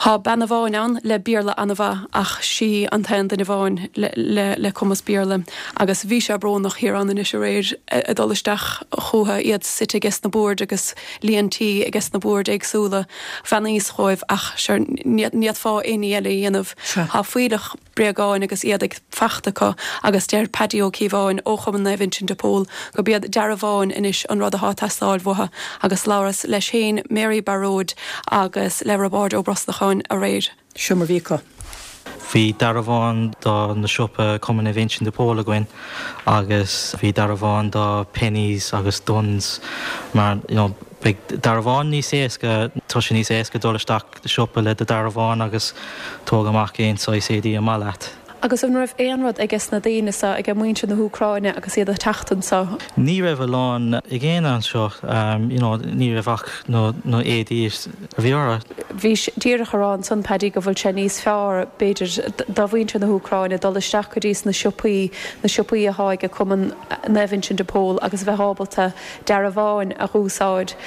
Thá bean amháin ann le Béarla ana-mhaith ach sí an t-aon duine amháin le le cumas Béarla agus bhí sé brónach thiar ann anois aréir ag dul isteach chútha, iad suite aige sna boird agus líon tí aige sna boird éagsúla. Bheannaíos dhóibh ach sure ní fhéadfá aon ní eile a dhéanamh. Thá fuílleach bréagáin agus éadaigh fachta acu agus deir Paddy Ó Cíobháin ó Chumann Naomh Uinseann de Pól gurb iad dearbháin anois an rud athá ag teastáil uathu agus labhras leis féin, Mary Baróid agus le Roibeárd Ó Brosnacháin aréir. Seo mar bhí acu. Bhí dearbhán do na siopa Cumann Naomh Uinseann de Pól againn agus bhí dearbhán do Penneys agus Dunnes mar you know beidh dearbhán níos éasca, tá sé níos éasca dul isteach siopa le do dearbhán agus tóg amach aon saghas éadaí ar maith leat. Agus an raibh aon rud aige sna daoine so, age muintir na hÚcráine agus iad ag teacht anso? Ní raibh a lán ag éinne anseo, you know, ní raibh ach na éadaí a bhí orthu. Bhís díreach a rá ansan, Paddy, go bhfuil sé níos fearr, b'fhéidir, do mhuintir na hÚcráine dul isteach go dtí sna siopaí, na siopaí athá age Cumann Naomh Uinseann de Pól agus a bheith ábalta dearbháin a dh'úsáid.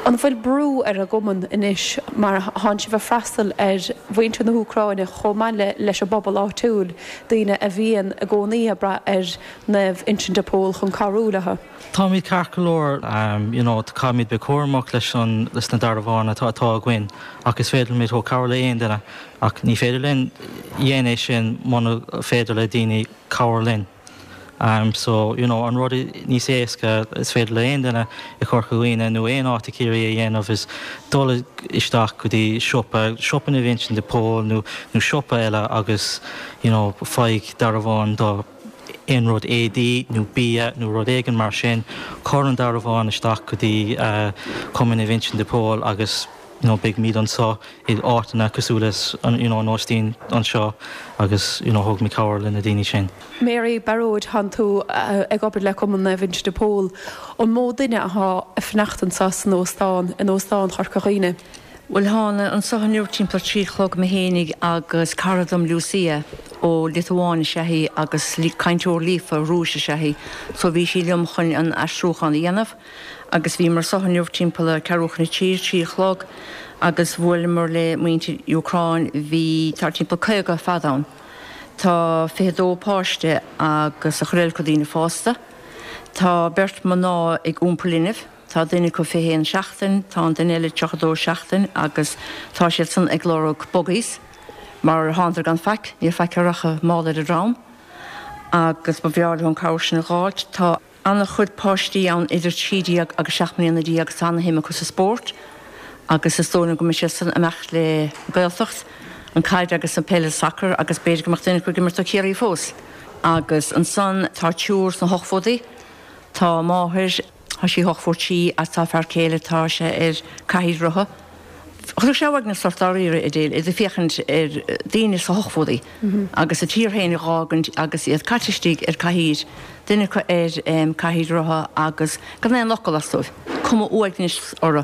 An bhfuil brú ar an gcumann anois mar thánn sibh ag freastal ar mhuintir na hÚcráine chomh maith le leis an bpobal áitiúil, daoine a bhíonn i gcónaí ag brath ar Naomh Uinseann de Pól chun cabhrú leo? Táimid ceart go leor, you know, caithfimid bheith cúramach leis an, leis na dearbháin atá, atá againn ach is féidir limid cabhrú le aon duine ach ní féidir linn dhéanamh é sin muna féidir le daoine cabhair linn. So, you know, an rud níos éasca is féidir le aon duine i Corca Dhuibhne nó aon áit i Ciarraí a dhéanamh is dul isteach go dtí siopa, siopa Naomh Uinseann de Pól nó, nó siopa eile agus, you know, faigh dearbhán do aon rud éadaí nó bia nó rud éigin mar sin, cuir an dearbhán isteach go dtí Cumann Naomh Uinseann de Pól agus, you know, beidh muid anseo i áiteanna cosúil leis an, you know, an óistín anseo agus, you know, thógfaimid cabhair le na daoine sin. Mary, Bearóid, thánn tú ag obair le Cumann Naomh Uinseann de Pól. An mó duine athá ag fanacht anseo san óstán, in Óstán Chorca Dhuibhne? Bhuel, thána anso inniu timpeall a trí a chlog, mé fhéinig agus cara dom Lucia ó Liotuáin is ea í agus cainteoir líofa Rúis is ea í so bhí sí liom chun an aistriúchán a dhéanamh. Agus bhíomar anso inniu timpeall a ceathrú chun a trí, trí a chlog, agus bhuaileamar le muintir Úcráin, bhí, tá timpeall 50 ar fad ann. Tá 22 páiste agus an chuid eile acu daoine fásta. Tá beirt mná ag iompar linbh, tá duine acu 21 seachtain, tá an duine eile 32 seachtain agus tá siad san ag lorg buggies mar thánadar gan faic, níl faic a rachadh mála ar a ndrom agus ba bhreá leo an cabhair sin a dh'fháilt. Tá. An-chuid páistí ann idir 13 agus 17 mbliana agus tá ana-shuim acu sa spórt agus is dóigh liom go mbeidh siad san ag imeacht le Gaeltacht, an caid agus an peil, sacar agus b'fhéidir go mbeadh duine acu ag imirt do Chiarraí fós. Agus ansan tá triúr sna hochtóidí, tá máthair, tá sí 83 agus tá fear céile, tá sé ar cathaoir rotha. Chuirfeadh sé uaigneas ort dáiríre, Edel, ag féachaint ar daoine sna hochtóidí agus a tír féin a dh'fhágaint agus iad caite istigh ar cathaoir, duine acu ar cathaoir rotha agus gan aon fhocal as dóibh, cuma uaignis orthu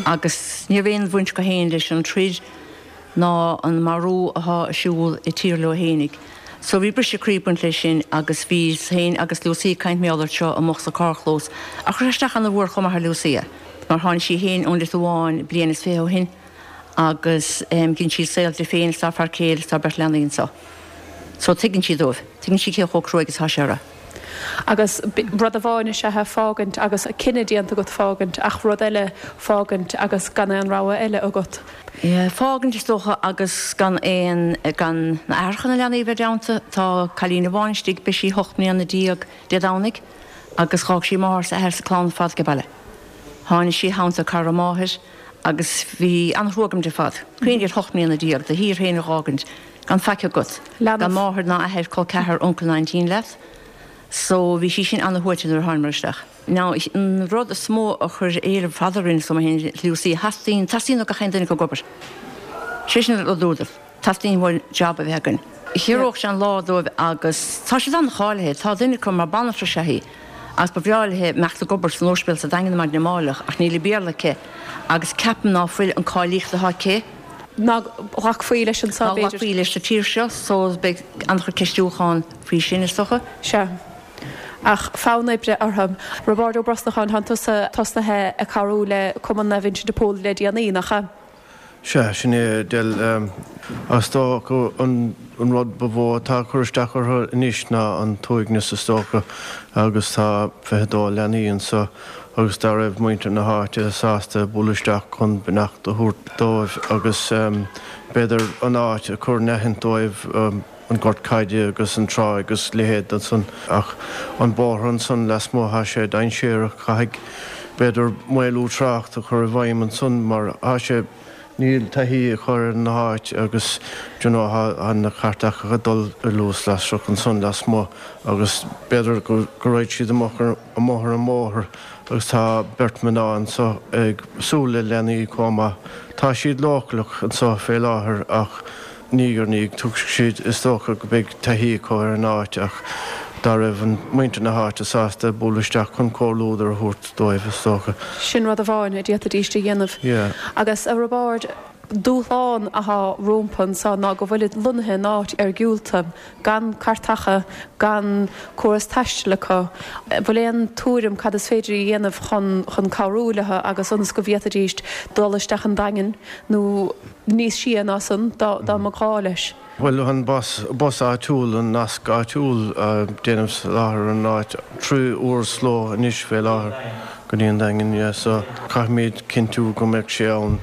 agus ní raibh aon bhaint acu féin leis an troid ná an marú athá ar siúl i tír leo fhéinig. So bhí briseadh croí ag baint leis sin agus bhíos féin agus Lucia ag caint mar gheall air seo amuigh sa carrchlós ach chuir sé isteach ana mhór chomh maith ar Lucia mar tháinig sí féin ón Liotuáin bliain is 20 ó shin agus dhein sí saol di féin is dá fear céile is dá beirt leanaí anso. So tuigeann sí dóibh, tuigeann sí cé chomh cruaidh is atá sé orthu. Agus rud amháin is ea fágaint agus cinneadh déanta agat fágaint ach rud eile fágaint agus gan aon rogha eile agat. Yeah, fágaint is dócha agus gan aon, gan na aithreacha na leanaí a bheith i dteannta. Tá cailín amháin istigh, beidh sí 18 mbliana Dé Domhnaigh agus dh'fhág sí máthair 's athair 's a clann ar fad age baile. Tháinig sí i theannta cara máthair agus bhí an-thrua agam di ar fad. Cuimhnigh ar 18 mbliana do thír féin a dh'fhágaint gan faic agat, gan máthair ná athair, col ceathar, uncail ná aintín leat. So bhí sí sin ana-shuaite nuair a thánamar isteach. Now an rud is mó a chuir éileamh fada orainn is dóigh mé féin Lucy, theastaíonn, teastaíonn ó gach aon duine acu obair. Sé sin an rud a dúradar, teastaíonn uainn job a bheith againn. Chiorródh sé an lá dóibh agus tá siad an-cháilithe, tá duine acu mar banaltra is ea í agus ba bhreá léi imeacht ag obair san ospidéal sa Daingean maidin amáireach ach níl an Béarla aici agus ceapaim ná fuil an cáilíocht atá aici Ná glacfaí leis anseo, Ná b'fhéidir. glacfaí leis sa tír seo so beidh an-chuid ceistiúchán faoi sin is dócha. Sea. Ach fonn oibre orthu. Roibeárd Ó Brosnacháin, tánn tusa tosnaithe ag cabhrú le Cumann Naomh Uinseann de Pól le déanaí, nach ea? Sea, sin é, Edel. Is dócha an rud ba mhó atá ag cur isteach orthu anois ná an t-uaigneas is dócha agus tá 22 leanaí anso agus dá raibh muintir na háite sásta bualadh isteach chun beannacht a thabhairt dóibh agus b'fhéidir an áit a chur in aithint dóibh, an gort caide agus an trá agus leithéid ansan ach an bóthar ansan lasmuigh thá sé dainséarach, caithfidh b'fhéidir maolú trácht a chur i bhfeidhm ansan mar thá sé, níl taithí acu ar an áit agus d'you know thá na cairteacha ag dul i luas lasrach ansan lasmuigh agus b'fhéidir go raghaidh siad amach amuigh ar an mbóthar agus tá beirt mná anso ag súil le leanaí chomh maith. Tá siad leochaileach anso fé láthair ach Ní ar ndiaidh, tuigfidh siad, is dócha, go mbeidh taithí acu ar an áit ach dá raibh an muintir na háite sásta bualadh isteach chun comhluadar a thabhairt dóibh, is dócha. Sin rud amháin a d'fhéadfaidís a dhéanamh. Yeah. Agus, a Roibeaird, Dúshlán athá rómpa anso ná go bhfuilid lonnaithe in áit iargúlta, gan cairteacha, gan córas taistil acu. An bhfuil aon tuairim cad is féidir a dhéanamh chun chun cabhrú leo agus ionas go bhféadfaidíst dul isteach an Daingean nó níos sia ná san dá dá mba ghá leis? Bhuel, an bus, bus áitiúil, an nasc áitiúil déanaim soláthar an áit 3 uair sa ló anois fé láthair go dtí an Daingean, yeah, so caithfimid cinntiú go mbeadh sé ann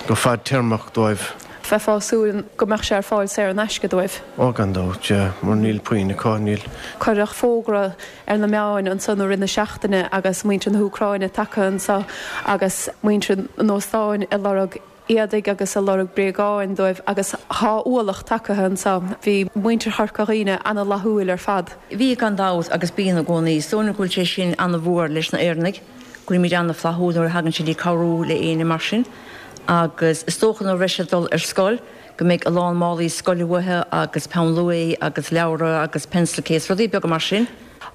go fadtéarmach dóibh. Bheifeá ag súil go mbeadh sé ar fáil saor in aisce dóibh? Ó gan dabht, yeah, mar níl puinn acu, níl. Cuireadh fógra ar na meáin ansan i rith na seachtaine agus muintir na hÚcráine tagtha anso agus muintir an óstáin ag lorg éadaigh agus ag lorg bréagáin dóibh agus thá ualach tagaithe anso. Bhí muintir Chorca Dhuibhne ana-fhlaithiúil ar fad. Bhí, gan dabht, agus bíonn i gcónaí. Is dóigh liom go bhfuil sé sin ana-mhór leis na Éireannaigh, go bhfuilimid ana-fhlaithiúil nuair a thagann sé dtí cabhrú le éinne mar sin. Agus is dócha nuair a bheidh siad ag dul ar scoil go mbeidh a lán málaí scoile uathu agus peann luaidhe agus leabhra agus pencil case, rudaí beaga mar sin.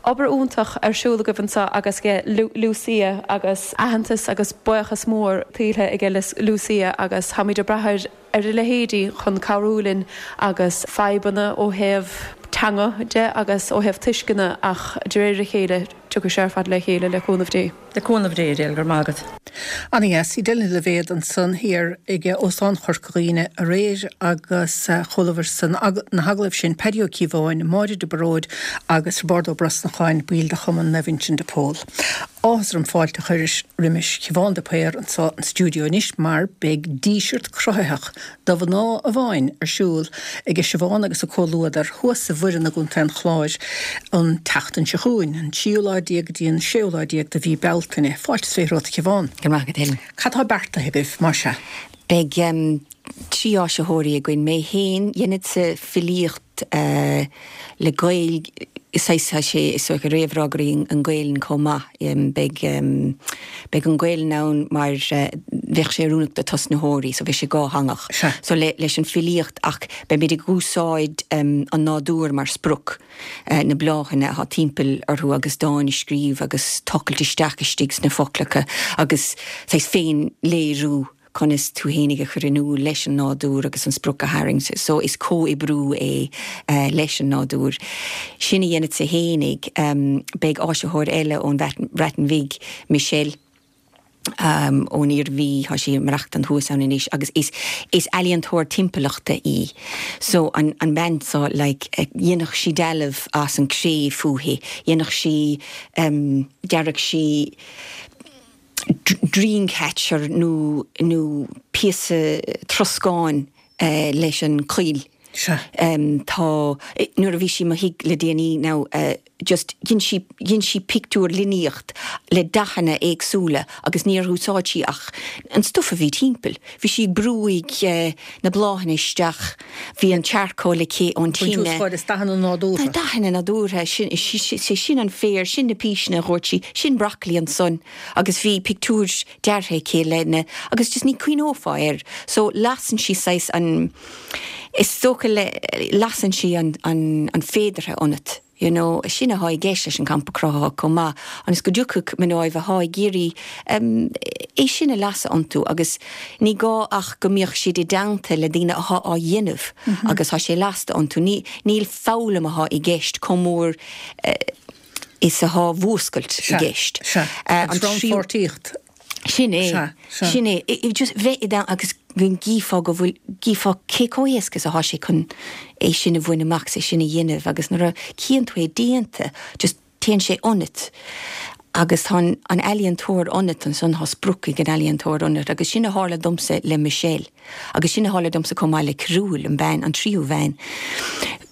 Obair iontach ar siúl agaibh anseo agus age Lucia agus aitheantas agus buíochas mór tuillte aige Lucia agus táimid ag brath ar ar a leithéidí chun cabhrú linn agus fadhbanna ó thaobh teanga de agus ó thaobh tuisceana ach de réir a chéile tiocfaidh sé ar fad le chéile le cúnamh Dé. Le cúnamh Dé, Edel, go raibh maith agat. Ana dheas. Edel Ní Loibhéad ansan thiar ag Óstán Chorca Dhuibhne aréir agus chualabhair san na hagallaimh sin Paddy Ó Cíobháin, Máire de Baróid agus Roibeárd Ó Brosnacháin, baill de Chumann Naomh Uinseann de Pól. Áthas orm fáilte a chur roimis Shiobhán de Paor anso an stiúideo anois mar beidh díseart cruthaitheach do mhná amháin ar siúl aige Siobhán agus a comhluadar thuas i bhFoireann i gContae an Chláir an tseachtain seo chugainn, an tríú lá déag go dtí an séú lá déag de mhí Bealtaine. Fáilte is 20 romhat a Shiobhán. Go raibh maith agat, Helen. Cad tá beartaithe agaibh, más ea? Beidh 3 áisitheoirí againn, mé féin, dhéanfadsa filíocht, le Gaeilge, saghas, tá sé is dócha réamhrá go dtí an Ghaelainn chomh maith. Beidh, beidh an Ghaelainn ann mar bheadh sé oiriúnach do tosnaitheoirí, so bheadh sé dhátheangach. So le, leis an filíocht ach beimid ag úsáid an nádúr mar sprioc, na bláthanna atá timpeall orthu agus dán a scríobh agus tochailt isteach istigh sna foclacha agus saghas féin-léiriú. conas tú fhéinig a chur in iúl leis an nádúr agus an sprioc a tharraingt. So is comhoibriú é leis an nádúr. Sin a dhéanfadsa fhéinig. Beidh áisitheoir eile ón Bhreatain Bhig, Michelle, ón Iarmhí, tá sí ag maireachtaint thuas ann anois agus is is ealaíontóir timpeallachta í. So an an bean seo like dhéanfadh sí dealbh as an cré fúithi, dhéanfadh sí dearfadh sí dreamcatcher nó nó píosa troscáin leis an choill. Sea. Tá, nuair a bhí sí i mo thigh le déanaí now just dhein sí, dhein sí pictiúr líníocht le dathanna éagsúla agus níor úsáid sí ach an stuif a bhí timpeall. Bhí sí ag brúigh na bláthanna isteach, bhí an charcoal aici ón tine. Baint úsáid as dathanna nádúrtha. Dathanna nádúrtha, sin, sé sin an féar, sin na píseanna a dhúirt sí, sin broccoli ansan agus bhí pictiúir deartha aici le na, agus just ní cuimhneofá air. So lasann sí saghas an, is dócha le, lasann sí an, an, an féideartha ionat. You know, sin athá i gceist leis an Campa Cruthaitheach chomh maith, ionas go dtiocfadh mnáibh athá ag iarraidh é sin a lasadh iontu agus ní gá ach go mbíodh siad i dteannta le daoine athá á dhéanamh agus tá sé lasta iontu. Ní, níl foghlaim athá i gceist chomh mór is athá mhúscailt i gceist. Sea, sea. Agus rannpháirtíocht. Sin é. Sin é. Just bheith i do, agus go gcífeá go bhfuil, gcífeá cé chomh héasca is athá sé chun é sin a bhaint amach 's é sin a dhéanamh agus nuair a chíonn tú é déanta, just téann sé ionat agus tá an, an ealaíontóir ionat ansan, tá sprioc ag an ealaíontóir ionat agus sin a tharla domsa le Michelle agus sin a tharla domsa chomh maith le Carúil, an bean, an tríú bhean.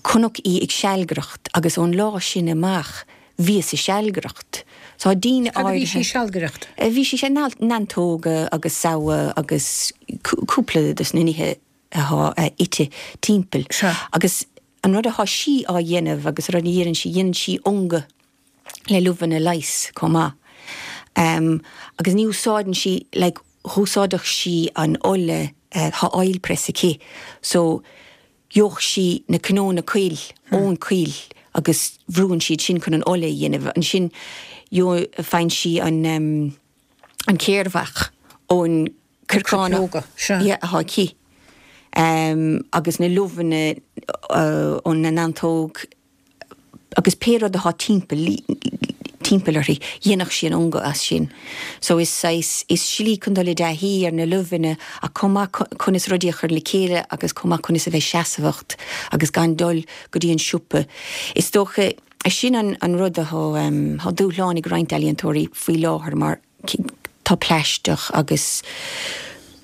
Chonac í ag sealgaireacht agus ón lá sin amach, bhíos ag sealgaireacht. Tá daoine Cad a bhí sí ag sealgaireacht? Bhí sí ag neantóga agus samha agus cúpla dos na nithe athá ite timpeall. Agus an rud athá sí á dhéanamh agus an rud a dhéanann sí, dhéanann sí ungadh le luibheanna leighis chomh maith. Agus ní úsáideann sí, like, dh'úsáideadh sí an ola, tá oil press aici, so Gheobhadh sí na cnónna coill ón choill agus bhrúann siad sin chun an ola a dhéanamh. Ansin faigheann sí an an céarmhach ón corcánach atá aici. Agus na luibheanna ón neantóg agus pé rud atá timpeall timpeall uirthi, dhéanfadh sí an ungadh as sin. So is saghas, is slí chun dul i dtaithí ar na luibheanna ach chomh maith conas rudaí a chur le chéile agus chomh maith conas a bheith seasmhacht agus gan dul go dtí an siopa. Is dócha, sin an an rud atá, tá dúshlán ag roinnt ealaíontóirí faoi láthair mar, tá plaisteach agus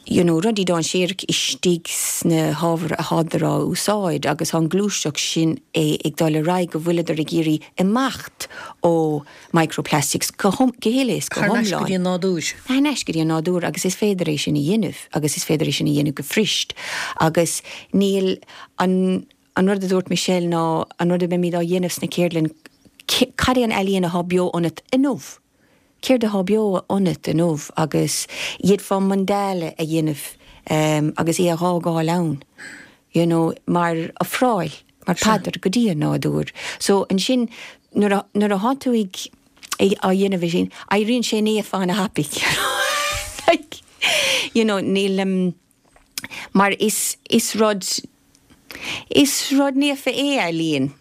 you know rudaí dainséarach istigh sna hábhair athádar á úsáid agus tá an gluaiseacht sin é ag dul ar aghaidh go bhfuileadar ag iarraidh imeacht ó microplastics go go huile is go Thar n-ais go hiomlán. dtí an nádúr. Thar n-ais go dtí an nádúr agus is féidir é sin a dhéanamh agus is féidir é sin a dhéanamh go fuirist agus níl an an rud a dúirt Michelle ná an rud a mbeimid á dhéanamh sna ceardlann cad é an ealaíon athá beo ionat inniu? Céard athá beo ionat inniu agus d'fhéadfá mandala a dhéanamh agus é a dh'fhágáil ann, you know, mar ofráil, mar phaidir go dtí an nádúr. So ansin nuair a, nuair athá tú ag, ag, á dhéanamh é sin, éiríonn sé naofa ana-thapaidh, you know, like, you know, níl, Mar is, is rud, is rud naofa é ealaín,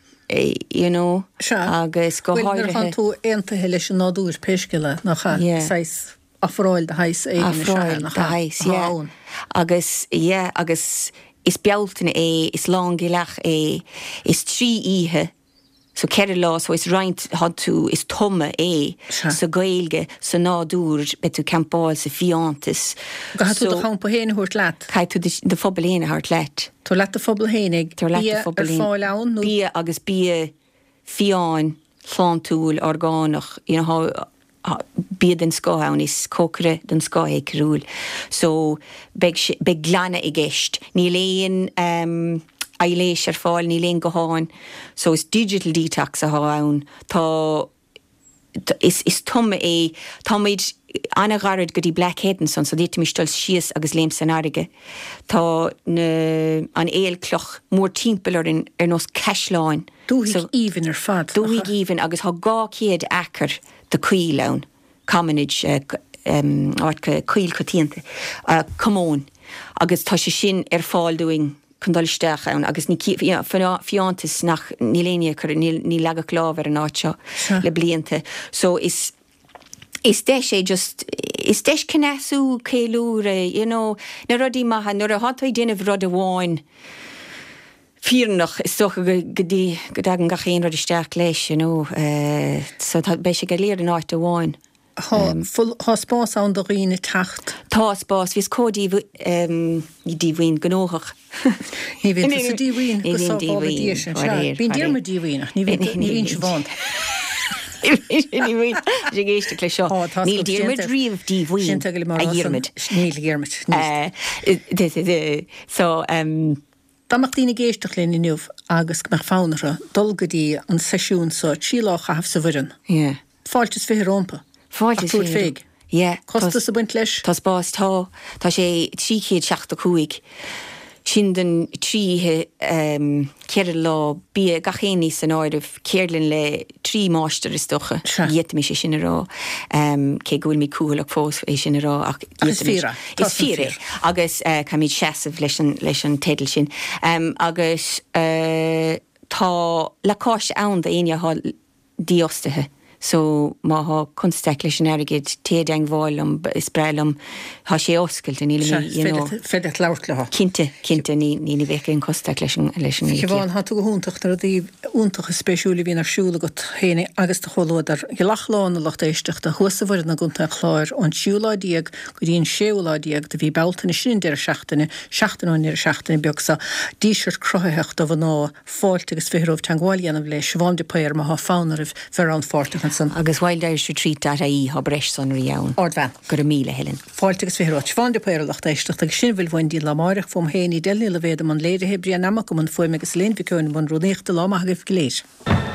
you know, Sea. agus go Bhuel, nuair háirithe. atánn tú aontaithe leis an nádúr, pé scéal é, nach ea? Yeah. Saghas ofráil de shaghas éigin is ea é, Ofráil nach de ea? shaghas, Atá yeah. ann. Agus, yeah, agus is Bealtaine é, is lángealach é, is 3 oíche So 4 lá, so is roinnt, tá tú, is tumadh é sa Ghaeilge, sa nádúr, beidh tú campáil sa fiántas. Caithfidh tú So do champa féin a thabhairt leat. Caithfidh tú do phuball féin a thabhairt leat. Tabhair leat do phuball féinig. Tabhair leat Bia do ar phuball féin. fáil ann nó? Bia agus bia fiáin, sláintiúil, orgánach, you know, bia den scoth ann, is cócaire den scoth é Cearbhall so beidh sé, beidh glanadh i gceist. Níl aon aibhléis ar fáil, níl aon gutháin so is digital detox athá ann. Tá, is, is tumadh é, táimid an-ghairid go dtí Black Head ansan so d'fhéadfaimis dul síos agus léim san fharraige. Tá na, an aolchloch mórtimpeall orainn ar nós caisleáin. Dúthaigh aoibhinn ar fad. Dúthaigh aoibhinn agus tá 200 acre de coill ann, commonage, áit coill coitianta, commóin, agus tá sé sin ar fáil dúinn chun dul isteach ann agus ní fiántas nach, níl éinne ag cur, níor leagadh lámh ar an áit seo le blianta. So is is deis é just, is deis cneasú, ceiliúradh, you know, na rudaí maithe, nuair atá tú ag déanamh rud amháin, fírinneach, is dócha go go go dtagann gach aon rud isteach leis, you know. So tá, beidh sé go léir in áit amháin. Tá, tá spás ann do dhaoine teacht. Tá spás, bhíos chomh díomhaoin, ní díomhaoin, gnóthach. Ní bhíonn tusa díomhaoin, Ní go bhím sábhála díomhaoin, Dia sinn, sea. faraor, Bíonn faraor. Diarmuid díomhaoin ach ní bhíonn, ní bhíonn Siobhán. Ní bhíonn, tá sé ag éisteacht leis seo. Tá, tá Níl Diarmuid riamh díomhaoin, Sin tuige le mar a rá san. Dhiarmuid. Níl, a Dhiarmuid, níl. So, Dá mbeadh daoine ag éisteacht linn inniu agus go mbeadh fonn orthu dul go dtí an seisiún so, 3 lá a chaitheamh sa Bhoireann. Yeah. Fáilte is 20 rómpa. Fáilte Ach is tabhairt 20. féig. Yeah. Costas ag baint leis? Tá spás, tá. Tá sé 375. Sin don 3 oíche, 4 lá, bia, gach aon ní san áireamh, ceardlann le 3 máistir is dócha. Sea. D'fhéadfaimis é sin a rá. Cé go bhfuilimid cúthaileach fós é sin a rá ach Ach is d'fhéadfaimis. fíor é. Tá Is san fíor é. fíor. Agus caithfimid seasamh leis an, leis an teideal sin. Agus tá lacáiste ann d'éinne atá dífhostaithe. So má thá constaic leis an airgead, téigh i dteangmháil liom, is breá liom, thá sé oscailte, níl Sea, mé, you know. féidir, féidir leat labhairt leo. Cinnte, cinnte, ní, ní, ní bheadh aon chonstaic leis an, leis an Siobhán, íocaíocht. thá tú go hiontach, na rudaí iontacha spéisiúla a bhíonn ar siúl agat féin agus do chomhluadar. Gealach Lán a lucht éisteachta, thuas sa Bhoireann i gContae an Chláir, ón tríú lá déag go dtí an séú lá déag de mhí Bealtaine, sin an deireadh seachtaine, seachtain ón ndeireadh seachtaine beag seo, Díseart Cruthaitheach do Mhná. Fáilte agus 20 romhaibh teangmháil a dhéanamh le Siobhán de Paor má thá fonn oraibh bheith rannpháirteach ansan. Agus wildirishretreat.ie thá breis sonraí ann. Ardbhean. Go raibh míle, Helen. Fáilte agus 20 romhat. Siobhán de Paor a lucht éisteachta agus sin a bhfuil uainn go dtí an lá amáireach. Fúm féin, Edel Ní Loibhéad i mbun léirithe, Brian Nammock i mbun fuaime agus Elaine Mhic Eoin i mbun rúnaíochta. Lá maith agaibh go léir.